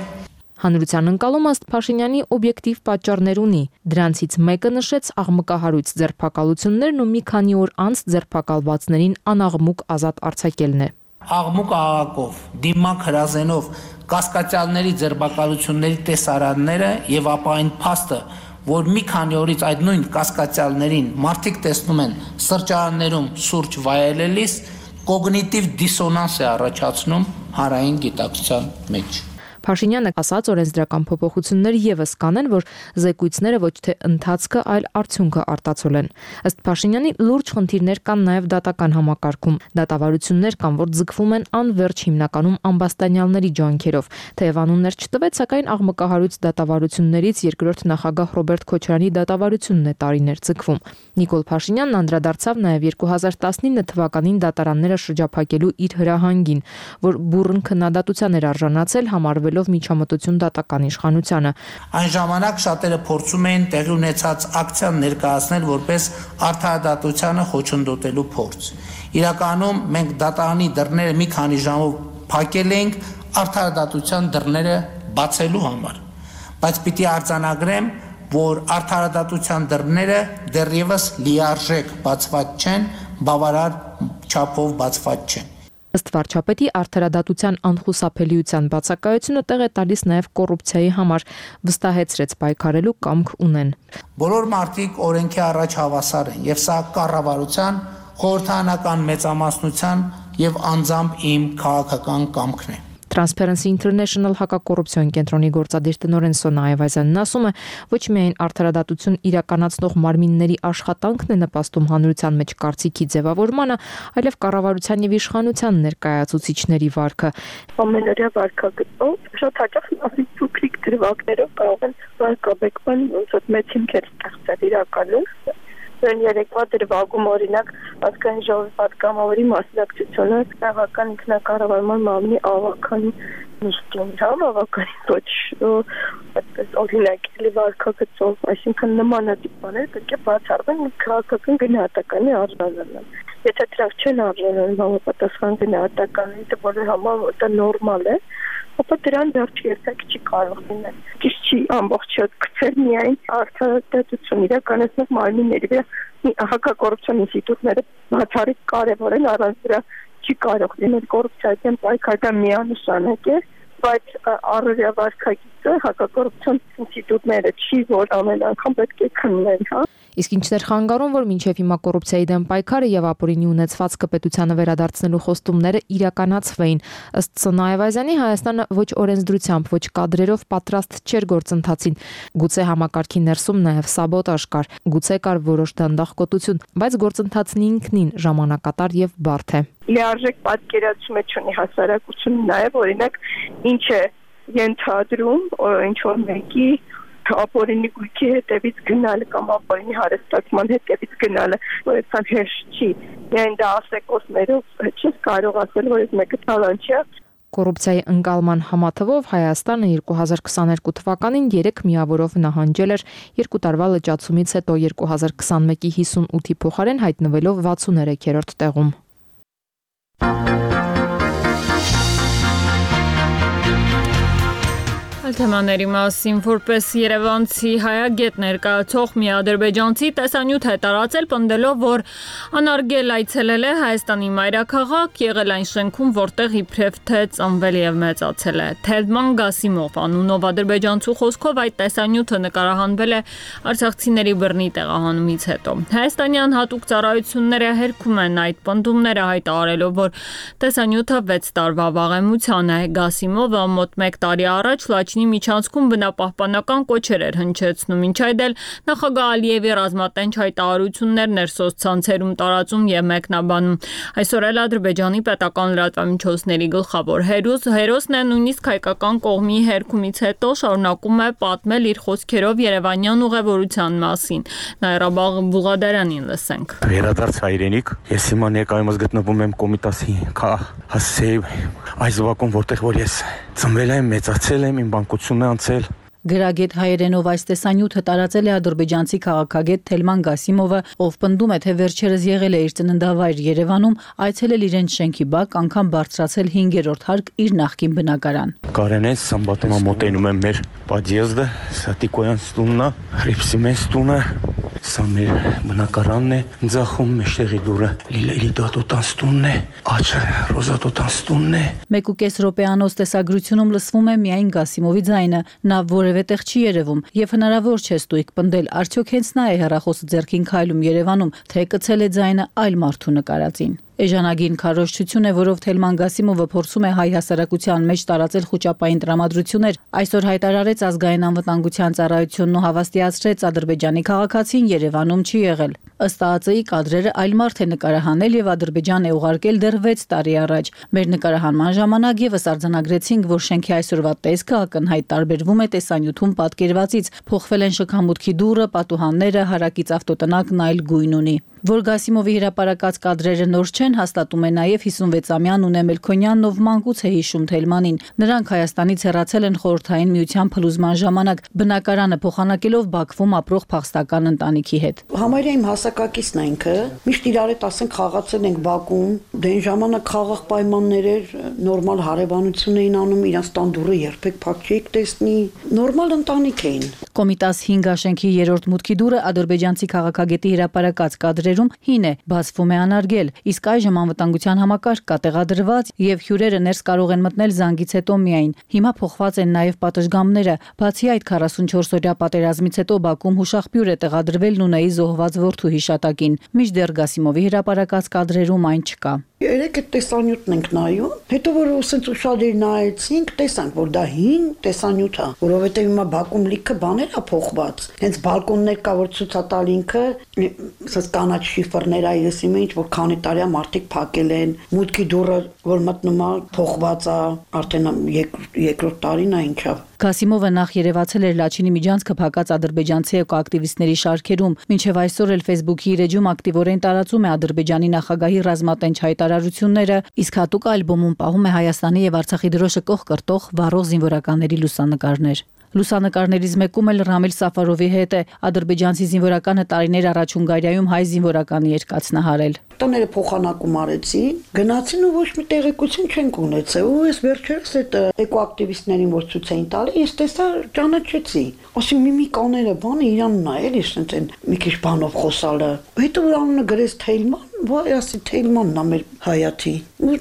Հանրության ընկալումը ըստ Փաշինյանի օբյեկտիվ պատճառներ ունի։ Դրանցից մեկը նշեց աղմկահարույց ձերբակալություններն ու մի քանի օր անց ձերբակալվածներին անաղմուկ ազատ արձակելն է։ Աղմուկ աղաղակով, դիմակ հրազենով կասկածյալների ձերբակալությունների տեսարանները եւ ապա այն փաստը, որ մի քանի օրից այդ նույն կասկածյալներին մարդիկ տեսնում են սրճարաններում սուրճ վայելելիս, կոգնիտիվ դիսոնանս է առաջացնում հանրային գիտակցության մեջ։ Փաշինյանը ասաց, օրենսդրական փոփոխություններ եւս կանեն, որ զեկույցները ոչ թե ընթացքը, այլ արդյունքը արտացոլեն։ Ըստ Փաշինյանի լուրջ խնդիրներ կան նաեւ դատական համակարգում։ Դատավարություններ կան, որ ձգվում են անվերջ հիմնականում ամբաստանյալների ջանքերով։ Թեև անուններ չտվեց, սակայն աղմկահարույց դատավարություններից երկրորդ նախագահ Ռոբերտ Քոչարյանի դատավարությունն է տարիներ ձգվում։ Նիկոլ Փաշինյանն անդրադարձավ նաեւ 2019 թվականին դատարանները շրջափակելու իր հրահանգին, որ բուռն քննադատության էր արժանացել համարվելով միջամտություն դատական իշխանությանը։ Այն ժամանակ շատերը փորձում էին տեղի ունեցած ակցիան ներկայացնել որպես արդարադատությանը խոչընդոտելու փորձ։ Իրականում մենք դատարանի դռները մի քանի ժամով փակել էինք արդարադատության դռները բացելու համար։ Բայց պիտի արձանագրեմ, որ արդարադատության դռները դեռևս լիարժեք բացված չեն, բավարար չափով բացված չեն։ Ըստ վարչապետի արդարադատության անխուսափելիության բացակայությունը տեղ է տալիս նաև կոռուպցիայի համար, վստահեցրեց պայքարելու կամք ունեն։ Բոլոր մարդիկ օրենքի առաջ հավասար են, եւ սա կառավարության, խորհրդարանական մեծամասնության եւ անձամբ իմ քաղաքական կամքն է։ Transparency International հակակոռուպցիոն կենտրոնի գործադիր տնօրեն Սոնա Այվազյանն ասում է, ոչ միայն արդարադատություն իրականացնող մարմինների աշխատանքն է նպաստում հանրության մեջ կարծիքի ձևավորմանը, այլև կառավարության եւ իշխանության ներկայացուցիչների վարքը։ Ամենօրյա վարքագծով շատ հաճախ ասի փոքրիկ դրվագներով կարող են վարկաբեկման ոնց որ մեծ հիմքեր ստեղծել իրականում։ Երեկվա դրվագում օրինակ ազգային ժողովի պատգամավորի մասնակցությունը տեղական ինքնակառավարման մարմնի ավականի նիստին, ավականի ոչ այդպես օրինակելի վարքագծով, այսինքն նմանատիպ բաներ պետք է բացառվեն ու քաղաքական գնահատականի արժանանան։ Եթե դրանք չեն արժանանում համապատասխան գնահատականների, դա բոլոր համար դա նորմալ է, ապա դրան վերջ երբեք չի կարող լինել։ Ճիշտ չի ամբողջը գցել միայն արդարադատություն իրականացնող մարմինների վրա։ Հակակոռուպցիոն ինստիտուտները բացառիկ կարևոր են, առանց դրա չի կարող լինել կոռուպցիայի դեմ պայքարը միանշանակ է, բայց առօրյա վարքագիծը հակակոռուպցիոն ինստիտուտները չի, որ ամեն անգամ պետք է քննեն, հա։ Իսկ ինչն էր խանգարում, որ մինչև հիմա կոռուպցիայի դեմ պայքարը եւ ապօրինի ունեցվածքը պետությանը վերադարձնելու խոստումները իրականացվեին։ Ըստ Սոնա Այվազյանի Հայաստանը ոչ օրենսդրությամբ, ոչ կադրերով պատրաստ չէր գործընթացին։ Գուցե համակարգի ներսում նաեւ սաբոտաժ կար, գուցե կար որոշ դանդաղկոտություն, բայց գործընթացն ինքնին ժամանակատար եւ բարդ է։ Լիարժեք պատկերացում չունի հասարակությունը նաեւ օրինակ ինչ է ենթադրում, ինչ որ մեկի ապօրինի գույքի հետևից գնալը կամ ապօրինի հարստացման հետևից գնալը, որ այդքան հեշտ չի։ Միայն դա ասեկոսներով չես կարող ասել, որ այս մեկը տալանտ չէ։ Կոռուպցիայի ընկալման համաթվով Հայաստանը 2022 թվականին 3 միավորով նահանջել էր 2 տարվա լճացումից հետո 2021-ի 58-ի փոխարեն հայտնվելով 63-րդ տեղում։ Թեմաների մասին որպես երևանցի հայագետ ներկայացող մի ադրբեջանցի տեսանյութ է տարածել պնդելով, որ անարգել այցելել է Հայաստանի մայրաքաղաք, եղել այն շենքում, որտեղ իբրև թե ծնվել եւ մեծացել է։ Թելման Գասիմով անունով ադրբեջանցու խոսքով այդ տեսանյութը նկարահանվել է արցախցիների բռնի տեղահանումից հետո։ Հայաստանյան հատուկ ծառայությունները հերքում են այդ պնդումները հայտարարելով, որ տեսանյութը 6 տարվա վաղեմության է։ Գասիմովը մոտ 1 տարի առաջ Լաչինի միջանցքում բնապահպանական կոչեր էր հնչեցնում, ինչ այդ էլ նախագահ Ալիևի ռազմատենչ հայտարարություններն էր սոցցանցերում տարածում եւ մեկնաբանում։ Այսօր էլ Ադրբեջանի պետական լրատվամիջոցների գլխավոր հերոսն է նույնիսկ հայկական կողմի հերքումից հետո շարունակում է պատմել իր խոսքերով երևանյան ուղևորության մասին։ Նաիրաբաղ Բուղադարանին լսենք։ Վերադարձ հայրենիք, ես հիմա ներկայումս գտնվում եմ Կոմիտասի հասցեի այս վակում, որտեղ որ ես ծնվել եմ, մեծացել եմ, իմ բանկությունն է անցել։ Գրագետ հայերենով այս տեսանյութը տարածել է ադրբեջանցի քաղաքագետ Թելման Գասիմովը, ով պնդում է, թե վերջերս եղել է իր ծննդավայր Երևանում, այցելել իրենց շենքի բակ, անգամ բարձրացել 5-րդ հարկ իր նախկին բնակարան։ Կարենես սամբատոմա մոտենում եմ մեր պատիեզդը, Սատիկոյանց տունն է, Հրիփսիմենց տունը, սա մեր բնակարանն է, ձախում մեջտեղի դուրը Լիլիդատոտանց տունն է, աչը Ռոզատոտանց տունն է։ 1.5 րոպեանոց տեսագրությունում լսվում է միայն Գասիմովի ձայնը, նա որևէ տեղ չի երևում եւ հնարավոր չէ ստույգ պնդել, արդյոք հենց նա է հեռախոսը ձեռքին քայլում Երևանում, թե կցել է ձայնը այլ մարդու նկարածին։ Էժանագին քարոզչություն է, որով Թելման Գասիմովը փորձում է հայ հասարակության մեջ տարածել խոճապային տրամադրություններ, այսօր հայտարարեց ազգային անվտանգության ծառայությունն ու հավաստիացրեց Ադրբեջանի քաղաքացին Երևանում չի եղել։ Ըստ ԱԱԾ-ի կադրերը այլ մարդ է նկարահանել եւ Ադրբեջան է ուղարկել դեռ 6 տարի առաջ։ Մեր նկարահանման ժամանակ եւս արձանագրեցինք, որ շենքի այսօրվա տեսքը ակնհայտ տարբերվում է տեսանյութում պատկերվածից, փոխվել են շքամուտքի դուռը, պատուհանները, հարակից ավտոտնակն այլ գույն ունի։ Որ Գասիմովի հրապարակած կադրերը նոր չեն, հաստատում է նաև 56-ամյա Նունե Մելքոնյանն, ով մանկուց է հիշում Թելմանին։ Նրանք Հայաստանից հեռացել են Խորհրդային Միության փլուզման ժամանակ, բնակարանը փոխանակելով Բաքվում ապրող փախստական ընտանիքի հետ։ Համարյա իմ հասակակիցն է ինքը, միշտ իրար հետ ասենք խաղացել ենք Բաքում, դե այն ժամանակ խաղաղ պայմաններ էր, նորմալ հարևանություն էին անում, իրանց տան դուռը երբեք փակ չէիք տեսնի, նորմալ ընտանիք էին։ Կոմիտաս 5 աշենքի 3-րդ մուտքի դուռը ադրբեջանցի քաղաքագետի հրապարակած կադրերում հին է, բացվում է անարգել, իսկ այժմ անվտանգության համակարգ կա տեղադրված եւ հյուրերը ներս կարող են մտնել զանգից հետո միայն։ Հիմա փոխված են նաեւ պատշգամբները, բացի այդ 44-օրյա պատերազմից հետո Բաքում հուշախբյուր է տեղադրվել Նունեի զոհված որդու հիշատակին, մինչդեռ Գասիմովի հրապարակած կադրերում այն չկա։ Երեք այդ տեսանյութն ենք նայում, հետո որ ասենց ուշադիր նայեցինք, տեսանք, որ դա հին տեսանյութ է, որովհետև հիմա Բաքում լիքը բաներ է փոխված։ Հենց բալկոններ կա, որ ցույց է տալ ինքը, ասես կանաչ շիֆրներ է, ես իմը ինչ որ քանի տարի է մարդիկ փակել են, մուտքի դուռը որ մտնում է փոխված է, արդեն երկրորդ տարին է ինչա։ Գասիմովը նախ երևացել էր Լաչինի միջանցքը փակած ադրբեջանցի էկոակտիվիստների շարքերում, մինչև այսօր էլ Facebook-ի իր էջում ակտիվորեն տարածում է Ադրբեջանի նախագահի ռազմատենչ հայտարարությունները, իսկ հատուկ ալբոմում պահում է Հայաստանի եւ Արցախի դրոշը կողք կրտող վառող զինվորականների լուսանկարներ։ Լուսանկարներից մեկում էլ Ռամիլ Սաֆարովի հետ է, ադրբեջանցի զինվորականը տարիներ առաջ Հունգարիայում հայ զինվորականի երկացնահարել։ Տները փոխանակում արեցին, գնացին ու ոչ մի տեղեկություն չենք ունեցել։ Ու ես վերջերս այդ էկոակտիվիստներին որ ցույց էին տալի, ես տեսա ճանաչեցի։ Ասի միմիկաները, բանը իրանն է, էլի ասեն մի քիչ բանով խոսալը։ Հետո որ անունը գրեց Թելման, վայ, ասի Թելմանն է մեր հայաթի։ Ու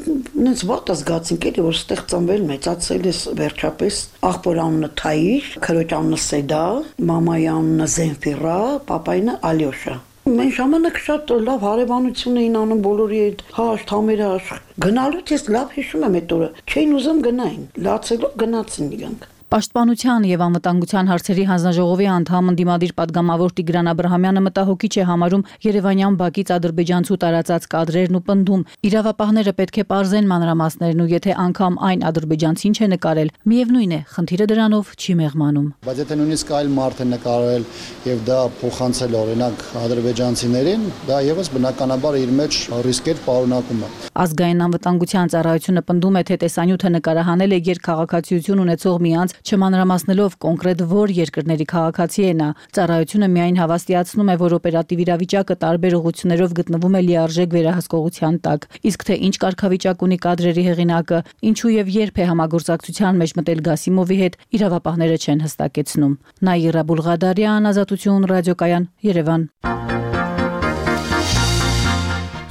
նենց վատ զգացինք էլի որ ստեղ ծնվել մեծացել ես վերջապես աղբոր անունը Թայիր, քրոջ անունը Սեդա, մամայի անունը Զենֆիրա, պապայինը Ալյոշա։ Մենք ժամանակ շատ լավ հարևանություն էին անում բոլորի հետ, հաշտ, համերաշ։ Գնալուց ես լավ հիշում եմ այդ օրը, չէին ուզում գնային, լացելով գնացին իրանք։ Պաշտպանության եւ անվտանգության հարցերի հանձնաժողովի անդամ ընդդիմադիր պատգամավոր Տիգրան Աբրահամյանը մտահոգիչ է համարում Երևանյան բակից ադրբեջանցու տարածած կադրերն ու պնդում. իրավապահները պետք է պարզեն մանրամասներն ու եթե անգամ այն ադրբեջանցին չէ նկարել, միևնույն է, խնդիրը դրանով չի մեղմանում։ Բայց եթե նույնիսկ այլ մարդ է նկարել եւ դա փոխանցել օրինակ ադրբեջանցիներին, դա եւս բնականաբար իր մեջ ռիսկեր պարունակում է։ Ազգային անվտանգության ծառայությունը պնդում է, թե տեսանյութը նկարահանել է երկխաղաքացիություն ունեցող մի անձ, չմանրամասնելով կոնկրետ որ երկրների քաղաքացի է նա։ Ծառայությունը միայն հավաստիացնում է, որ օպերատիվ իրավիճակը տարբեր ուղղություններով գտնվում է լիարժեք վերահսկողության տակ։ Իսկ թե ինչ կարգավիճակ ունի կադրերի հեղինակը, ինչու եւ երբ է համագործակցության մեջ մտել Գասիմովի հետ, իրավապահները չեն հստակեցնում։ Նաիրա Բուլղադարյան, Ազատություն ռադիոկայան, Երևան։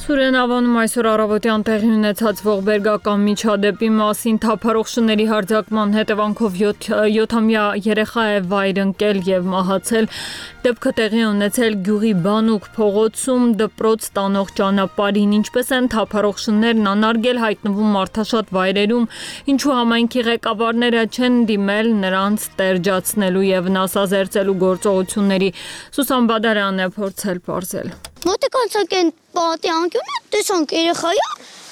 Սուրենավանում այսօր առավոտյան տեղի ունեցած ողբերգական միջադեպի մասին թափառող շների հարձակման հետևանքով 7-ամյա երեխա է վայր ընկել եւ մահացել։ Դեպքը տեղի ունեցել գյուղի Բանուկ փողոցում դպրոց տանող ճանապարհին, ինչպես են թափառող շներն անարգել հայտնվում մարդաշատ վայրերում, ինչու համայնքի ղեկավարները չեն դիմել նրանց տերջացնելու եւ վնասազերծելու գործողությունների։ Սուսան Բադարյանն է փորձել պարզել։ Մոտեկանցակ են պատի անկյունը, տեսանք երեխայա,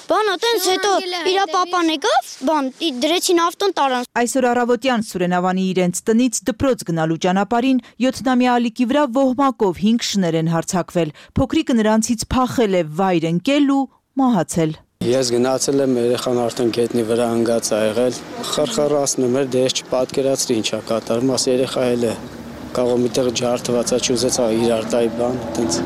բան ատենց հետո իրա պապան եկավ, բան դրեցին ավտոն տարան։ Այսօր առավոտյան Սուրենավանի իրենց տնից դպրոց գնալու ճանապարհին 7-ամյա ալիքի վրա ոհմակով 5 շներ են հարձակվել։ Փոքրիկը նրանցից փախել է վայր ընկել ու մահացել։ Ես գնացել եմ, երեխան արդեն գետնի վրա ընկած ա եղել, խրխռացնում էր, դե ես չպատկերացրի ինչա կատարում, ասի երեխա էլ է, կարող միտեղ ջարդված է, չուզեցա իրար տայի բան, այդպես։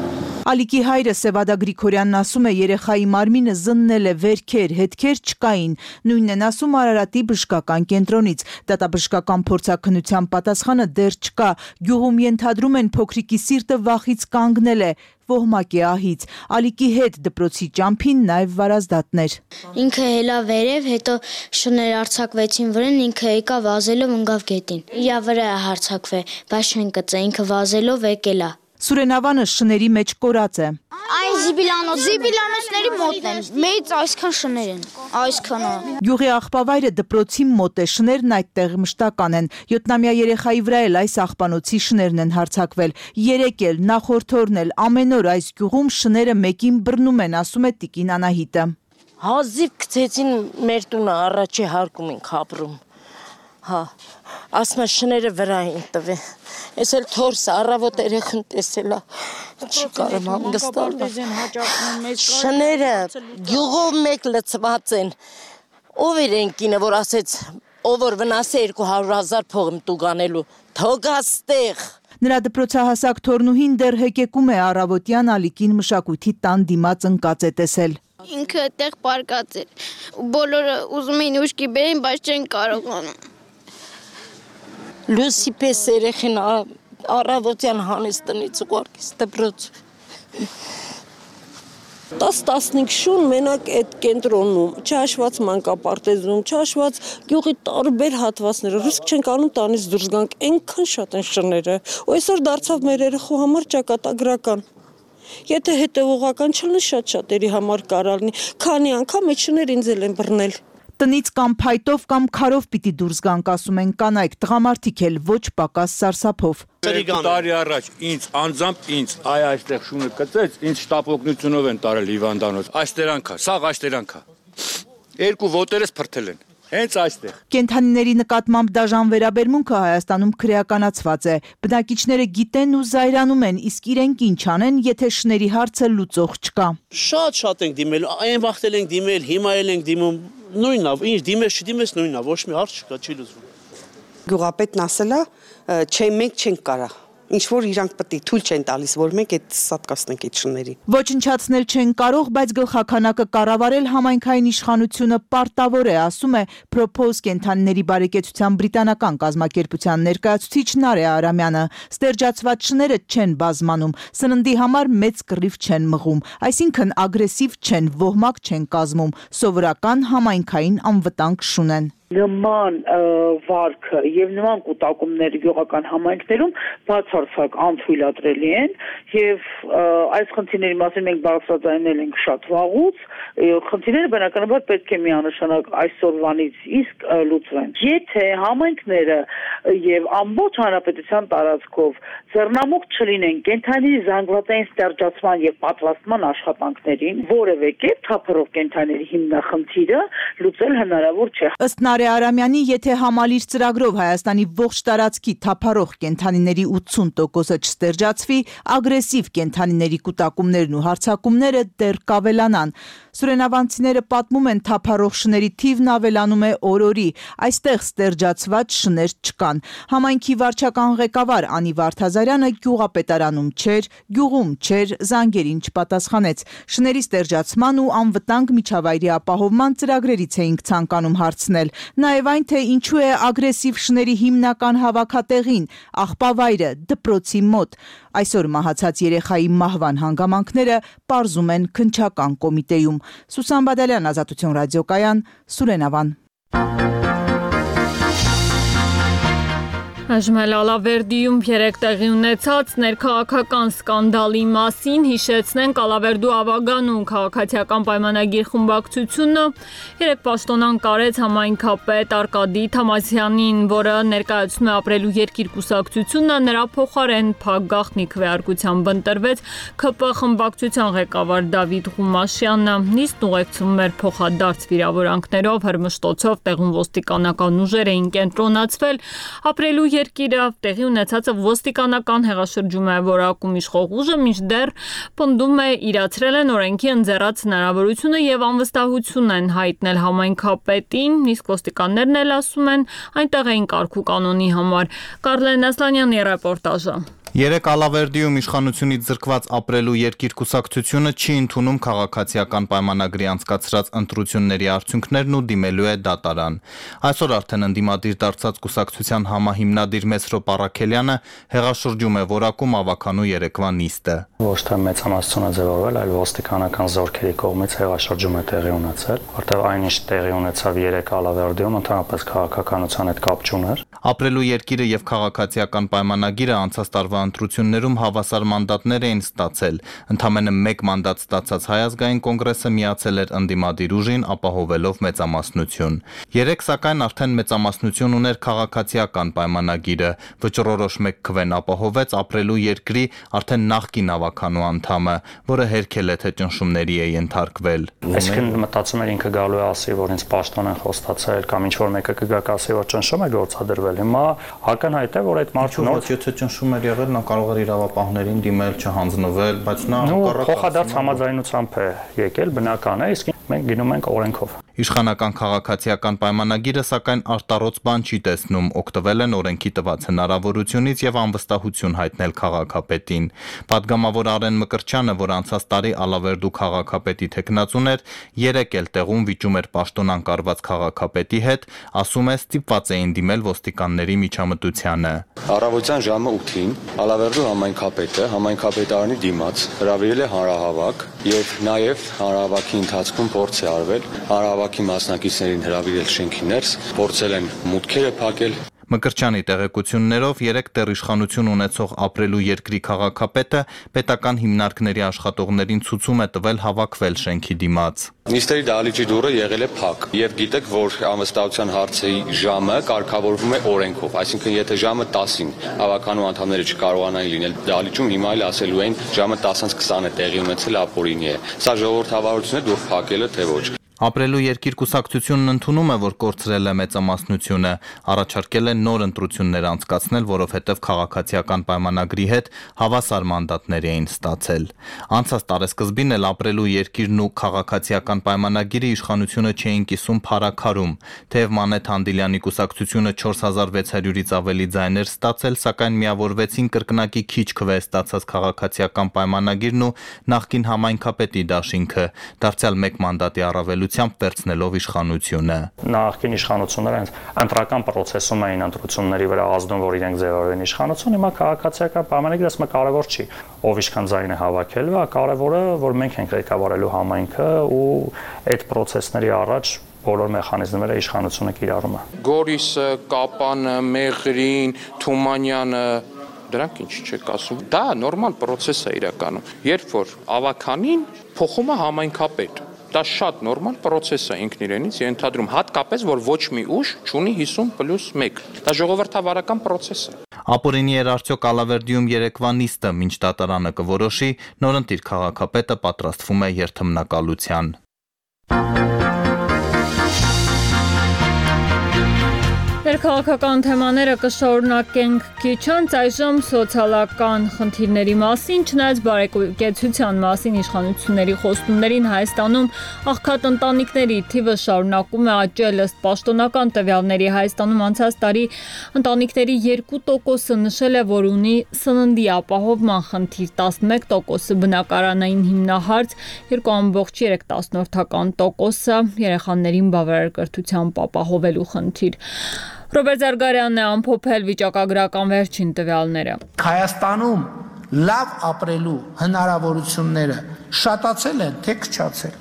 Ալիկի հայրը Սևադա Գրիգորյանն ասում է երեխայի մարմինը զննել է վերքեր, հետքեր չկային, նույնն են ասում Արարատի բժշկական կենտրոնից, դատաբժշկական փորձաքննության պատասխանը դեռ չկա, գյուղում ենթադրում են փոքրիկի սիրտը վախից կանգնել է, ոհմակ է ահից, Ալիկի հետ դպրոցի ճամփին նաև վարազդատներ։ Ինքը հելա վերև, հետո շներ արձակվեցին վրան, ինքը եկա վազելով ընկավ գետին։ Իրա վրա է հարձակվել, բայց չեն կծե, ինքը վազելով եկել է։ Սուրենավանը շների մեջ կորած է։ Այն զիբիլանոցների մոտն են, մեծ այսքան շներ են, այսքանա։ Գյուղի աղբավայրը դպրոցի մոտ է, շներն այդտեղ մշտական են, 7-ամյա երեխայի վրա էլ այս աղբանոցի շներն են հարձակվել, 3 էլ, նախորդ օրն էլ, ամեն օր այս գյուղում շները մեկին բռնում են, ասում է տիկին Անահիտը։ Հազիվ գցեցին մեր տունը առաջի հարկում ենք ապրում, ասում է շները վրա են տվել, ես էլ թորսը առավոտ երեխան տեսելա, չի կարում հանգստալ, շները գյուղով մեկ լծված են, ով էր են կինը, որ ասեց, ով որ վնասե 200,000 փող եմ տուգանելու, թողաստեղ։ Նրա դպրոցահասակ թորնուհին դեռ հեկեկում է առավոտյան Ալիկին մշակույթի տան դիմաց ընկած է տեսել։ Ինքը այդտեղ պարկած էր, բոլորը ուզում էին ուշքի բերեն, բայց չեն կարողանում։ Լուսի պես երեխին առավոտյան հանեց տնից ուղարկեց դպրոց։ 10-15 շուն մենակ այդ կենտրոնում, չհաշված մանկապարտեզում, չհաշված գյուղի տարբեր հատվածները, ռիսկ չենք անում տանից դուրս գանք, այնքան շատ են շները, ու այսօր դարձավ մեր երեխու համար ճակատագրական։ Եթե հետևողական չլինի շատ-շատերի համար կարող լինի, քանի անգամ այդ շներ ինձ էլ են բռնել։ Տնից կամ փայտով կամ քարով պիտի դուրս գանք, ասում են կանայք, տղամարդիկ էլ ոչ պակաս սարսափով։ Տարի առաջ ինձ անձամբ այստեղ շունը կծեց, ինձ շտապ օգնությունով են տարել հիվանդանոց։ Այստերանքա, սաղ այստերանքա։ 2 ոտերս փրթել են։ Հենց այստեղ։ Կենդանիների նկատմամբ դաժան վերաբերմունքը Հայաստանում քրեականացված է։ Բնակիչները գիտեն ու զայրանում են, իսկ իրենք ինչ անեն, եթե շների հարցը լուծող չկա։ Շատ ենք դիմել, այն վախտել ենք դիմել, հիմա էլ ենք դիմում, նույնն է, ինչ դիմես, չդիմես նույնն է, ոչ մի հարց չկա, չի լուծվում։ Գյուղապետն ասել է, չէ, մենք չենք կարա։ Ինչ որ իրանք պետք է թույլ չեն տալիս, որ մենք այդ սատկացնենք այդ շներին։ Ոչնչացնել չեն կարող, բայց գլխականակը կառավարել համայնքային իշխանությունը պարտավոր է, ասում է Propose կենդանիների բարեկեցության բրիտանական կազմակերպության ներկայացուցիչ Նարե Արամյանը։ Ստերջացված շները չեն բազմանում, սննդի համար մեծ կռիվ չեն մղում, այսինքն ագրեսիվ չեն, ոհմակ չեն կազմում, սովորական համայնքային անվտանգ շուն են։ Նման վարքը եւ նման կուտակումները գյուղական համայնքներում բացարձակ անթույլատրելի են եւ այս խնդիրների մասին մենք բարձրաձայնել ենք շատ վաղուց, խնդիրները բնականաբար պետք է միանշանակ այսօրվանից իսկ լուծվեն։ Եթե համայնքները եւ ամբողջ հանրապետության տարածքով ձեռնամուխ չլինեն կենդանիների զանգվածային ստերջացման եւ պատվաստման աշխատանքներին, որևէ կերպ թափառող կենդանիների հիմնախնդիրը լուծել հնարավոր չէ։ Ըստ Նարե Արամյանի, եթե համալիր ծրագրով Հայաստանի ողջ տարածքի թափառող կենդանիների 80%-ը չստերջացվի, ագրեսիվ կենդանիների կուտակումներն ու հարձակումները դեռ կավելանան։ Սուրենավանցիները պատմում են, թափառող շների թիվն ավելանում է օր-օրի, այստեղ ստերջացված շներ չկան։ Համայնքի վարչական ղեկավար Անի Վարդազարյանը գյուղապետարանում չէր, գյուղում չէր, զանգերին չպատասխանեց։ Շների ստերջացման ու անվտանգ միջավայրի ապահովման ծրագրերից էինք ցանկանում հարցնել, նաև այն, թե ինչու է ագրեսիվ շների հիմնական հավաքատեղին, աղբավայրը, դպրոցի մոտ։ Այսօր մահացած երեխայի մահվան հանգամանքները պարզում են քննչական կոմիտեում։ Սուսան Բադալյան, Ազատություն ռադիոկայան, Սուրենավան։ Այժմ Ալավերդիում 3 տեղի ունեցած ներքաղաքական սկանդալի մասին հիշեցնենք Ալավերդու ավագանուն քաղաքացիական պայմանագիր խմբակցությունը 3 պաշտոնան կարեց համայնքապետ Արկադի Թամասյանին, որը ներկայացնում է ապրելու երկիր կուսակցությունը, նրա փոխարեն Փակ գաղտնի քվեարկությամբ ընտրվեց ՔՊ խմբակցության ղեկավար Դավիթ Ղումաշյանը։ Նիստն ուղեկցվում էր փոխադարձ վիրավորանքներով, հրմշտոցով, տեղում ոստիկանական ուժեր էին կենտրոնացվել ապրելու երկիրը, տեղի ունեցածը ոստիկանական հեղաշրջում է որակում իշխող ուժը, մինչդեռ պնդում է իրացրել են օրենքի ընձեռած հնարավորությունը եւ անվստահություն են հայտնել համայնքապետին, իսկ ոստիկաններն էլ ասում են այնտեղ էին կարգ ու կանոնի համար։ Կարլեն Ասլանյանի ռեպորտաժը։ Երեք Ալավերդիում իշխանությունից զրկված ապրելու երկիր կուսակցությունը չի ընդունում քաղաքացիական պայմանագրի անցկացրած ընտրությունների արդյունքներն ու դիմելու է դատարան։ Այսօր արդեն ընդդիմադիր դարձած կուսակցության համահիմնադիր Մեսրոպ Առաքելյանը հեղաշրջում է որակում ավականու երեկվա նիստը։ Ոչ թե մեծամասնությունը ձևավորվել, այլ ոստիկանական զորքերի կողմից հեղաշրջում է տեղի ունեցել, որտեղ այնինչ տեղի ունեցավ երեք Ալավերդիում ընդհանրապես քաղաքականության հետ կապ չուներ։ Ապրելու երկիրը եւ քաղաքացիական պայմանագիրը անցած տարվա ընտրություններում հավասար մանդատներ էին ստացել։ Ընդամենը 1 մանդատ ստացած Հայ ազգային կոնգրեսը միացել էր ընդդիմադիր ուժին, ապահովելով մեծամասնություն։ Երեք սակայն արդեն մեծամասնություն ուներ քաղաքացիական պայմանագիրը։ Վճռորոշ 1 քվեն ապահովեց ապրելու երկրի արդեն նախկին ավականու անդամը, որը հերքել է թե ճնշումների է ենթարկվել։ Այսինքն մտածում էր ինքը գալու է ասի, որ ինձ պաշտոն են խոստացել կամ ինչ որ մեկը կգա կասի, որ ճնշում է գործադրվել։ Հիմա ակնհայտ է, որ այդ մարդու նոր եթե ճնշում էր եղել, նա կարող էր իրավապահներին դիմել, չհանձնվել, բայց նա փոխադարձ համաձայնությամբ է եկել, բնական է, իսկ մենք գնում ենք օրենքով։ Իշխանական քաղաքացիական պայմանագիրը սակայն արտառոց բան չի տեսնում, օգտվել են օրենքի տված հնարավորությունից եւ անվստահություն հայտնել քաղաքապետին։ Պատգամավոր Արեն Մկրտչյանը, որ անցած տարի Ալավերդու քաղաքապետի թեկնածուն էր, երեք էլ տեղում վիճում էր պաշտոն անկարված քաղաքապետի հետ, ասում է ստիպված էին դիմել ոստիկանների միջամտությանը։ Առավոտյան ժամը 8-ին Ալավերդու համայնքապետարանի դիմաց հրավիրել է հանրահավաք եւ նաեւ հանրահավաքի ընթացքում փորձ է արվել հանրահավաքի մասնակիցներին հրավիրել շենքի ներս, փորձել են մուտքերը փակել։ Մկրտչյանի տեղեկություններով երեք տեղիշխանություն ունեցող ապրելու երկրի քաղաքապետը պետական հիմնարկների աշխատողներին ցուցում է տվել հավաքվել շենքի դիմաց։ Նիստերի դահլիճի դուռը եղել է փակ եւ գիտեք, որ անվստահության հարցի ժամը կարգավորվում է օրենքով, այսինքն եթե ժամը 10-ին հավաքանու անդամները չկարողանային լինել դահլիճում, հիմա էլ ասելու են ժամը 10:20 է տեղի ունեցել, ապօրինի է։ Սա ժողովրդավարություն է, դուռ փակելը թե ոչ։ Ապրելու երկիր կուսակցությունն ընդունում է, որ կորցրել է մեծամասնությունը, առաջարկել է նոր ընտրություններ անցկացնել, որովհետև քաղաքացիական պայմանագրի հետ հավասար մանդատներ էին ստացել։ Անցած տարեսկզբին էլ ապրելու երկիրն ու քաղաքացիական պայմանագիրը իշխանությունը չէին կիսում փարաքարում, թեև Մանեթ Հանդիլյանի կուսակցությունը 4600-ից ավելի ձայներ ստացել, սակայն միավորվեցին կրկնակի քիչ քվե ստացած քաղաքացիական պայմանագիրն ու նախկին համայնքապետի դաշինքը, դարձյալ 1 մանդատի առավել վերցնելով իշխանությունը։ Նախկին իշխանությունները հենց ընտրական process-ում էին ընտրությունների վրա ազդում, որ իրենք ձևավորեն իշխանություն, հիմա քաղաքացիական պայմանագիրը ասում է կարևոր չի, ով ինչքան ձայն է հավաքել, կարևորը, որ մենք ենք ղեկավարելու համայնքը ու այդ process-ների առաջ բոլոր մեխանիզմները իշխանությունը կիրառում է։ Գորիսը, Կապանը, Մեղրին, Թումանյանը դրանք ինչ չեք ասում։ Դա նորմալ process է իրականում։ Երբ որ ավականին փոխում է համայնքապետ, դա շատ նորմալ process է ինքն իրենից, ենթադրում հատկապես, որ ոչ մի ուժ չունի 50+1։ Դա ժողովրդավարական process է։ Ապօրինի էր արդյոք Ալավերդիում երեկվա նիստը, մինչ դատարանը կորոշի, նորընտիր քաղաքապետը պատրաստվում է երթմնակալության։ Ներքաղաքական թեմաները կշարունակենք քիչ անց, այժմ սոցիալական խնդիրների մասին, չնայած բարեկեցության մասին իշխանությունների խոստումներին Հայաստանում աղքատ ընտանիքների թիվը շարունակում է աճել ըստ պաշտոնական տվյալների։ Հայաստանում անցած տարի ընտանիքների 2%-ը նշել է, որ ունի սննդի ապահովման խնդիր, 11%-ը բնակարանային հիմնահարց, 2.3%-ը երեխաներին բավարար կրթությամբ ապահովելու խնդիր։ Ռոբերտ Զարգարյանն է ամփոփել վիճակագրական վերջին տվյալները։ Հայաստանում լավ ապրելու հնարավորությունները շատացել են, թե քչացել։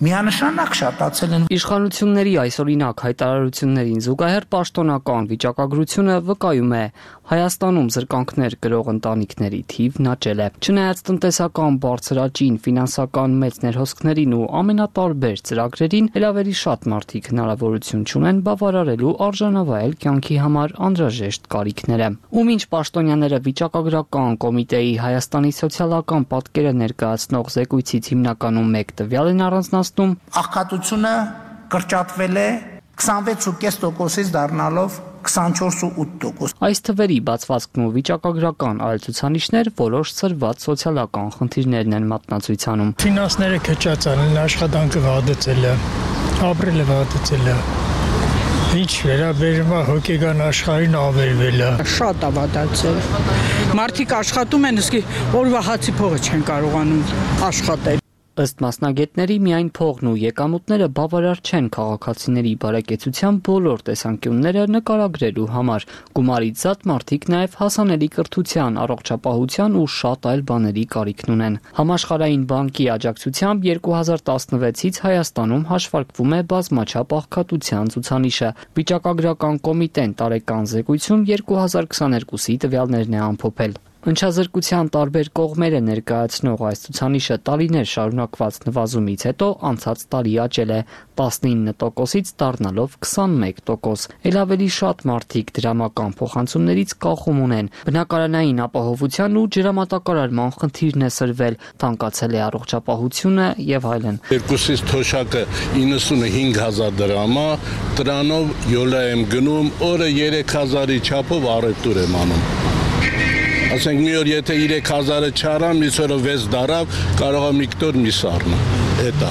Միանշանակ շատացել են։ Իշխանությունների այսօրինակ հայտարարություններին զուգահեռ պաշտոնական վիճակագրությունը վկայում է, Հայաստանում զրկանքներ կրող ընտանիքների թիվն աճել է։ Չնայած տնտեսական բարձր աճին, ֆինանսական մեծ ներհոսքներին ու ամենատարբեր ծրագրերին, էլ ավելի շատ մարդիկ հնարավորություն չունեն բավարարելու արժանավայել կյանքի համար անհրաժեշտ կարիքները։ Ու մինչ պաշտոնյաները վիճակագրական կոմիտեի Հայաստանի սոցիալական պատկերը ներկայացնող զեկույցից հիմնականում մեկ տվյալ են առանձնացնում, աղքատությունը կրճատվել է 26.5%-ից դառնալով 24.8%։ Այս թվերի բացվածքն ու վիճակագրական այլ ցուցանիշներ որոշ ծրված սոցիալական խնդիրներն են մատնացույցանում։ Ֆինանսները քչացան, աշխատանքը վատացել է, ապրելը վատացել է։ Ինչ վերաբերում է հոգեգան աշխարհին ավերվել է։ Շատ է վատացել։ Մարդիկ աշխատում են, իսկ օրվա հացի փողը չեն կարողանում աշխատել։ Ըստ մասնագետների միայն փողն ու եկամուտները բավարար չեն քաղաքացիների բարեկեցության բոլոր տեսանկյունները նկարագրելու համար։ Գումարից զատ մարդիկ նաև հասանելի կրթության, առողջապահության ու շատ այլ բաների կարիքն ունեն։ Համաշխարհային բանկի աջակցությամբ 2016-ից Հայաստանում հաշվարկվում է բազմաչափ աղքատության ցուցանիշը։ Վիճակագրական կոմիտեն տարեկան զեկույցում 2022-ի տվյալներն է ամփոփել։ Ընչազրկության տարբեր կողմերը ներկայացնող այս ցուցանիշը տարիներ շարունակված նվազումից հետո անցած տարի աճել է 19%-ից դառնալով 21%։ Էլ ավելի շատ մարդիկ դրամական փոխանցումներից կախում ունեն։ Բնակարանային ապահովության ու ջրամատակարարման խնդիրն է սրվել, թանկացել է առողջապահությունը եւ այլն։ Երկուսից թոշակը 95000 դրամ է, դրանով յոլա եմ գնում, օրը 3000-ի չափով առևտուր եմ անում։ Ասենք մի օր եթե 3000-ը չարամ, մյուս օրը 6 դարավ, կարող եմ միկտոր մի սառնա։ Էտա։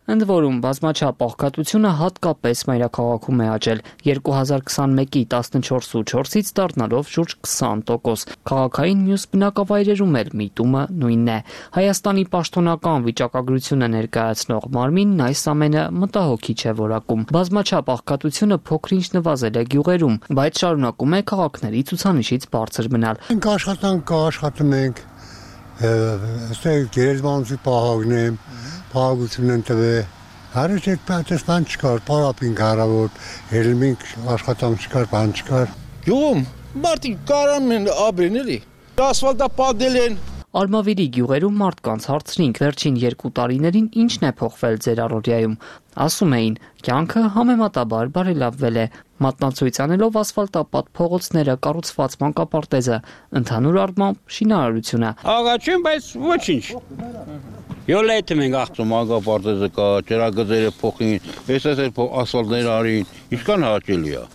Ընդ որում բազմաչափ աղքատությունը հատկապես մայրաքաղաքում է աճել 2021-ի 14.4-ից դառնալով շուրջ 20%։ Քաղաքային մյուս բնակավայրերում էլ միտումը նույնն է։ Հայաստանի պաշտոնական վիճակագրությունը ներկայացնող մարմինն այս ամենը մտահոգիչ է որակում։ Բազմաչափ աղքատությունը փոքր-ինչ նվազել է գյուղերում, բայց շարունակում է քաղաքների ցուցանիշից բարձր մնալ։ Մենք աշխատում ենք, այստեղ գերեզմանոցի պահակն է, պահակություն են տվել, հարից այդ պատես բան չկար, պարապինք հարավոր, հելմինք աշխատանք չկար, բան չկար։ Գյուղում մարդիկ կարան են ապրեն էլի, ասֆալտա պատել են։ Արմավիրի գյուղերում մարդկանց հարցրինք վերջին 2 տարիներին ինչն է փոխվել ձեր առօրյայում։ Ասում էին, կյանքը համեմատաբար բարելավվել է, մատնացույց անելով ասֆալտապատ փողոցները, կառուցված մանկապարտեզը, ընդհանուր առմամբ շինարարությունը։ Աղաչեն, բայց ոչինչ։ Յոլետ մենք աղծում մանկապարտեզը կա, ջրագծերը փոխին, այս ասֆալտները արին, ինչքան հաճելի է։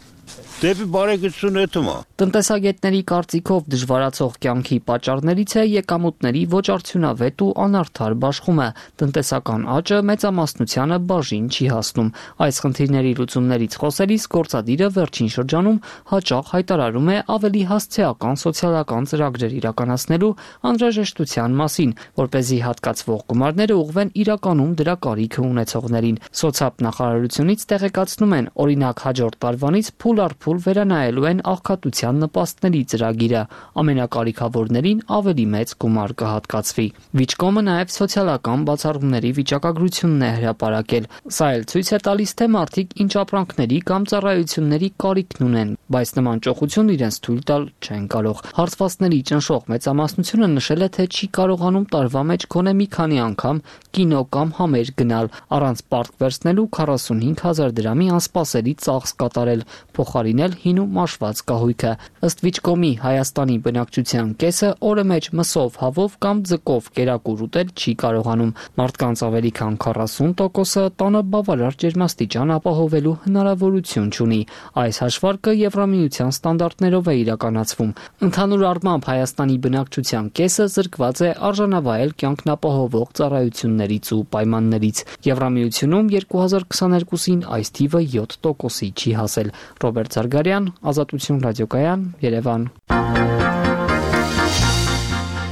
Դեպի բարեկեցություն էթում է։ Տնտեսագետների կարծիքով դժվարացող կյանքի պատճառներից է եկամուտների ոչ արդյունավետ ու անարդար բաշխումը։ Տնտեսական աճը մեծամասնությանը բաժին չի հասնում։ Այս խնդիրների լուծումներից խոսելիս գործադիրը վերջին շրջանում հաճախ հայտարարում է ավելի հասցեական սոցիալական ծրագրեր իրականացնելու անհրաժեշտության մասին, որպեսզի հատկացվող գումարները ուղղվեն իրականում դրա կարիքը ունեցողներին։ Սոցիալ նախարարությունից տեղեկացնում են, օրինակ հաջորդ տարվանից փուլ առ փուլ վերանայելու են աղքատության նպաստների ծրագիրը, ամենակարիքավորներին ավելի մեծ գումար կհատկացվի։ Վիճկոմը նաև սոցիալական բացառումների վիճակագրությունն է հրապարակել։ Սա էլ ցույց է տալիս, թե մարդիկ ինչ ապրանքների կամ ծառայությունների կարիքն ունեն, բայց նման ճոխություն իրենց թույլ տալ չեն կարող։ Հարցվածների ճնշող մեծամասնությունը նշել է, թե չի կարողանում տարվա մեջ գոնե մի քանի անգամ կինո կամ համեր գնալ, առանց պարտք վերցնելու 45000 դրամի անսպասելի ծախս կատարել, փոխարինել հին ու մաշված կահույքը։ Ըստ Վիճկոմի Հայաստանի բնակչության կեսը օրը մեջ մսով, հավով կամ ձկով կերակուր ուտել չի կարողանում։ Մարդկանց ավելի քան 40%-ը տանը բավարար ջերմաստիճան ապահովելու հնարավորություն չունի։ Այս հաշվարկը Եվրամիության ստանդարտներով է իրականացվում։ Ընդհանուր առմամբ Հայաստանի բնակչության կեսը զրկված է արժանավայել կյանքն ապահովող ծառայություններից ու պայմաններից։ Եվրամիությունում 2022-ին այս թիվը 7%-ի չի հասել։ Ռոբերտ Զարգարյան, Ազատություն ռադիոկայան, Երևան։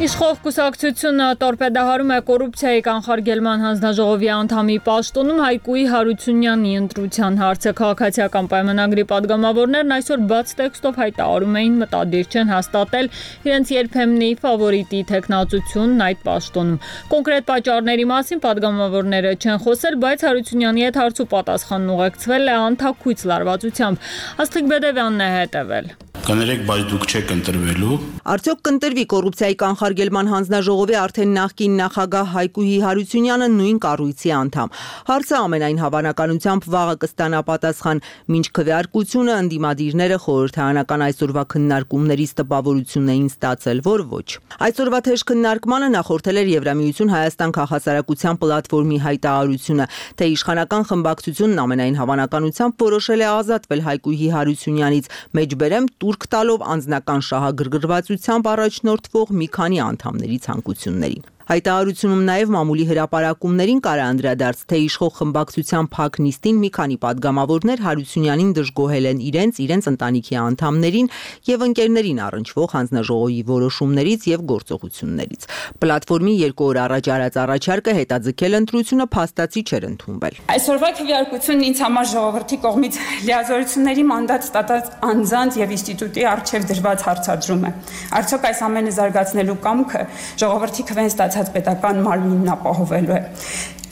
Իշխող կուսակցությունը տորպեդահարում է կոռուպցիայի կանխարգելման հանձնաժողովի անդամի պաշտոնում Հայկուի Հարությունյանի ընտրության հարցը։ Քաղաքացիական պայմանագրի падգամավորներն այսօր բաց տեքստով հայտարարում էին մտադիր չեն հաստատել իրենց երբեմնի ֆավորիտի տեխնացությունն այդ պաշտոնում։ Կոնկրետ պատճառների մասին падգամավորները չեն խոսել, բայց Հարությունյանի հետ հարց ու պատասխանն ուղեկցվել է անթաքույց լարվածությամբ։ Աստղիկ Բեդևյանն է հետևել։ կներեք, բայց դուք չեք ընտրվելու։ Արդյոք կընտրվի կոռուպցիայի կանխարգելման հանձնաժողովի արդեն նախկին նախագահ Հայկուհի Հարությունյանը նույն կառույցի անդամ։ Հարցը ամենայն հավանականությամբ վաղը կստանա պատասխան, մինչ քվեարկությունը ընդդիմադիրները խորհրդարանական այսօրվա քննարկումներից տպավորություն էին ստացել, որ ոչ։ Այսօրվա թեժ քննարկմանը նախորդել էր Եվրամիություն Հայաստան քաղաքասարակության պլատֆորմի հայտարարությունը, թե իշխանական խմբակցությունն ամենայն հավանականությամբ որոշել է ազատվել Հայկուհի Հարությունյանից, մեջբերեմ տուրք տալով անձնական շահագրգռվածությամբ առաջնորդվող մի քանի անդամների ցանկություններին։ Հայտարարությունում նաև մամուլի հրապարակումներին կար անդրադարձ, թե իշխող խմբակցության փակ նիստին մի քանի падգամավորներ Հարությունյանին դժգոհել են իրենց ընտանիքի անդամներին եւ ընկերներին առնչվող հանձնաժողովի որոշումներից եւ գործողություններից։ Պլատֆորմի 2 օր առաջ արած առաջարկը հետաձգել ընտրությունը փաստացի չէր ընդունվել։ Այսօրվա քվեարկությունն ինձ համար ժողովրդի կողմից լիազորությունների մանդատ ստացած անձանց եւ ինստիտուտի արժեվ դրված հարցադրում է։ Արդյոք այս ամենը զարգացնելու կամքը ժողովրդի քվեն ստացած պետական մարմինն ապահովելու է։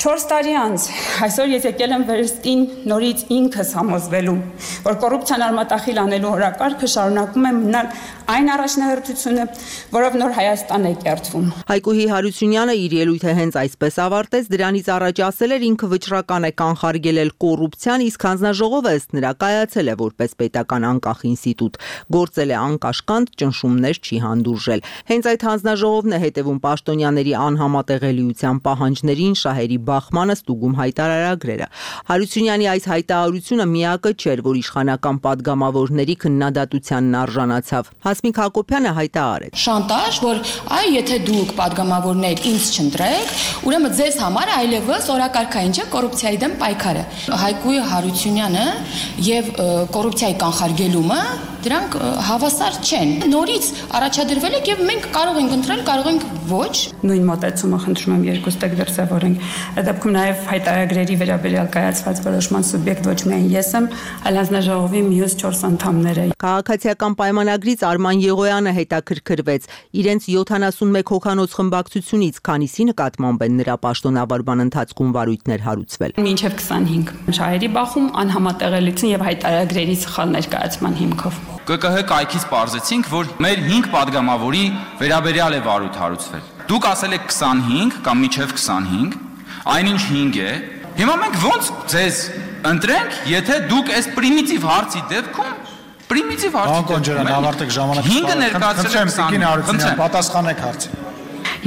4 տարի անց այսօր ես եկել եմ վերստին նորից ինքս համոզվելու, որ կոռուպցիան արմատախիլ անելու օրակարգը շարունակում է մնալ այն առաջնահերթությունը, որով նոր Հայաստան է կերտվում։ Հայկուհի Հարությունյանը իր ելույթը հենց այսպես ավարտեց, դրանից առաջ ասել էր ինքը վճռական է կանխարգելել կոռուպցիան, իսկ հանձնաժողովը ըստ նրա կայացել է որպես պետական անկախ ինստիտուտ, գործել է անկաշկանդ, ճնշումներ չի հանդուրժել։ Հենց այդ հանձնաժողովն է հետևում պաշտոնյաների անհամատեղելիության պահանջներին, շահերի բախմանը, ստուգում հայտարարագրերը։ Հարությունյանի այս հայտարարությունը միակը չէր, որ իշխանական падգամավորների քննադատությանն արժանացավ։ Հասմիկ Հակոբյանը հայտարարեց. Շանտաժ, որ այ եթե դուք падգամավորներ ինձ չընտրեք, ուրեմն ձեզ համար այլևս օրակարգային չէ կոռուպցիայի դեմ պայքարը։ Հայկուհի Հարությունյանը եւ կոռուպցիայի կանխարգելումը դրանք հավասար չեն։ Նորից առաջադրվել եք եւ մենք կարող ենք ընտրել, կարող ենք ոչ։ Նույն մոտեցումը խնդրում եմ երկուստեք դրսևորենք։ Այդ դեպքում նաև հայտարարագրերի վերաբերյալ կայացված որոշման սուբյեկտ ոչ միայն ես եմ, այլ հանձնաժողովի մյուս 4 անդամները։ Քաղաքացիական պայմանագրից Արման Եղոյանը հետաքրքրվեց իրենց 71 հոգանոց խմբակցությունից քանիսի նկատմամբ են նրա պաշտոնավարման ընթացքում վարույթներ հարուցվել։ Մինչև 25 շահերի բախում, անհամատեղելիություն եւ հայտարարագրերի սխալ ներկայացման հիմքով։ ԿԿՀ կայքից պարզեցինք, որ մեր 5 падգամավորի վերաբերյալ է վարույթ հարուցվել։ Դուք ասել եք 25 կամ միջև 25, այնինչ 5 է։ Հիմա մենք ո՞նց ձեզ ընտրենք, եթե դուք այս պրիմիտիվ հարցի դեպքում պրիմիտիվ հարցի դեպքում ավարտեք ժամանակը 5-ը ներկայացրել եք 20, պատասխանեք հարցին։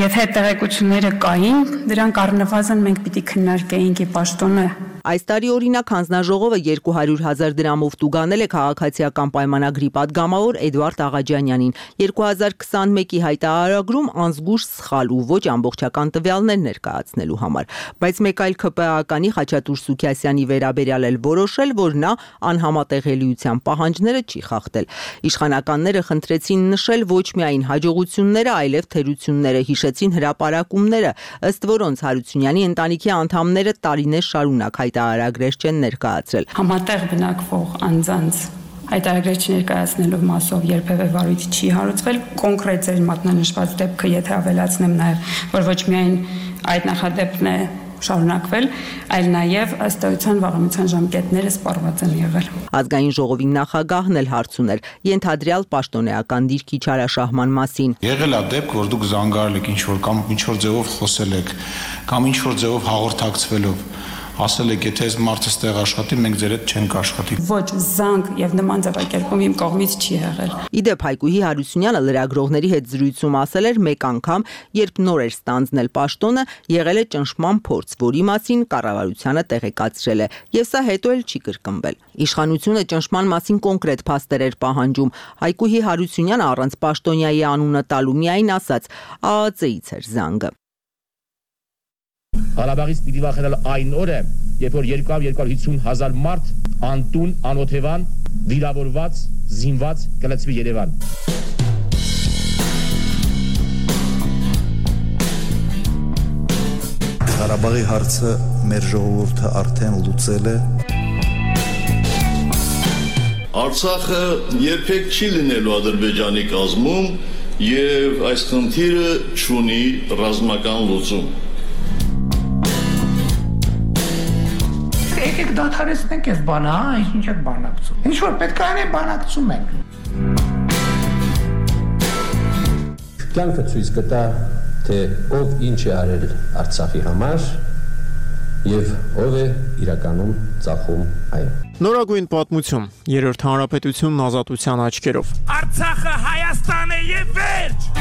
Եթե տեղեկությունները կային, դրանք առնվազն մենք պիտի քննարկեինք ի պաշտոնը։ Այս տարի օրինակ հանձնաժողովը 200,000 դրամով տուգանել է քաղաքացիական պայմանագրի падգամավոր Էդվարդ Աղաջանյանին 2021-ի հայտարարագրում անզգույշ սխալ ու ոչ ամբողջական տվյալներ ներկայացնելու համար, բայց մեկ այլ ԿՊԱ-կանի Խաչատուր Սուքիասյանի վերաբերյալ էլ որոշել, որ նա անհամատեղելիության պահանջները չի խախտել։ Իշխանականները խնդրեցին նշել ոչ միայն հաջողությունները, այլև թերությունները, հիշեցին հրապարակումները, ըստ որոնց Հարությունյանի ընտանիքի անդամները տարիներ շարունակ հայտարարագրեր չեն ներկայացրել։ Համատեղ բնակվող անձանց հայտարարագրեր չներկայացնելով մասով երբևէ վարույթ չի հարուցվել։ Կոնկրետ ձեր մատնանշված դեպքը, եթե ավելացնեմ նաև, որ ոչ միայն այդ նախադեպքն է շարունակվել, այլ նաև ըստ էության վաղամիջյան ժամկետները սպառված են եղել։ Ազգային ժողովի նախագահն էլ հարց ուներ ենթադրյալ պաշտոնեական դիրքի չարաշահման մասին։ Եղել է դեպք, որ դուք զանգարել եք ինչ-որ կամ ինչ-որ ձևով խոսել եք, կամ ինչ-որ ձևով հաղորդակցվելով ասել եք, եթե այս մարդը ստեղ աշխատի, մենք ձեր հետ չենք աշխատի։ Ոչ զանգ եւ նման ձևակերպում իմ կողմից չի եղել։ Իդեպ Հայկուհի Հարությունյանը լրագրողների հետ զրույցում ասել էր մեկ անգամ, երբ նոր էր ստանձնել պաշտոնը, եղել է ճնշման փորձ, որի մասին կառավարությանը տեղեկացրել է, եւ սա հետո էլ չի կրկնվել։ Իշխանությունը ճնշման մասին կոնկրետ փաստեր էր պահանջում։ Հայկուհի Հարությունյանը առանց պաշտոնյայի անունը տալու միայն ասաց ԱԱԾ-ից էր զանգը։ Ղարաբաղից պիտի վախենալ այն օրը, երբ որ 250,000 մարդ անտուն, անօթևան, վիրավորված, զինված կլցվի Երևան։ Ղարաբաղի հարցը մեր ժողովուրդը արդեն լուծել է։ Արցախը երբեք չի լինելու Ադրբեջանի կազմում եւ այս խնդիրը չունի ռազմական լուծում։ Եկեք դադարեցնենք այս բանը, ինչ եք բանակցում։ Ինչ որ պետք է անենք, բանակցում ենք։ կյանքը ցույց կտա, թե ով ինչ է արել Արցախի համար եւ ով է իրականում ծախում այն։ Նորագույն պատմություն, երրորդ հանրապետությունն ազատության աչքերով։ Արցախը Հայաստան է եւ վերջ։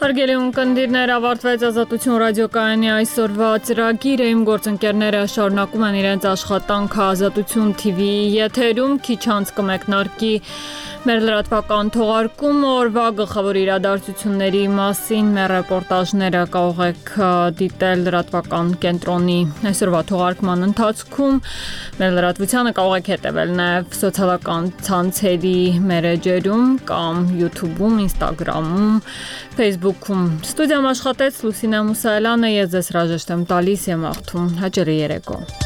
Հարգելի ունկնդիրներ, ավարտվեց Ազատություն ռադիոկայանի այսօրվա ծրագիրը, իմ գործընկերները շարունակում են իրենց աշխատանքը Ազատություն TV-ի եթերում, քիչ անց կմեկնարկի մեր լրատվական թողարկումը, օրվա գլխավոր իրադարձությունների մասին, մեր ռեպորտաժները կարող եք դիտել լրատվական կենտրոնի այսօրվա թողարկման ընթացքում, մեր լրատվությանը կարող եք հետևել նաև սոցիալական ցանցերի մեր էջերում կամ YouTube-ում, Instagram-ում, Facebook-ում։ Ստուդիայում աշխատեց Լուսինե Մուսայելյանը, ես ձեզ հրաժեշտ եմ տալիս եմ աղթում հաճելի երեկո։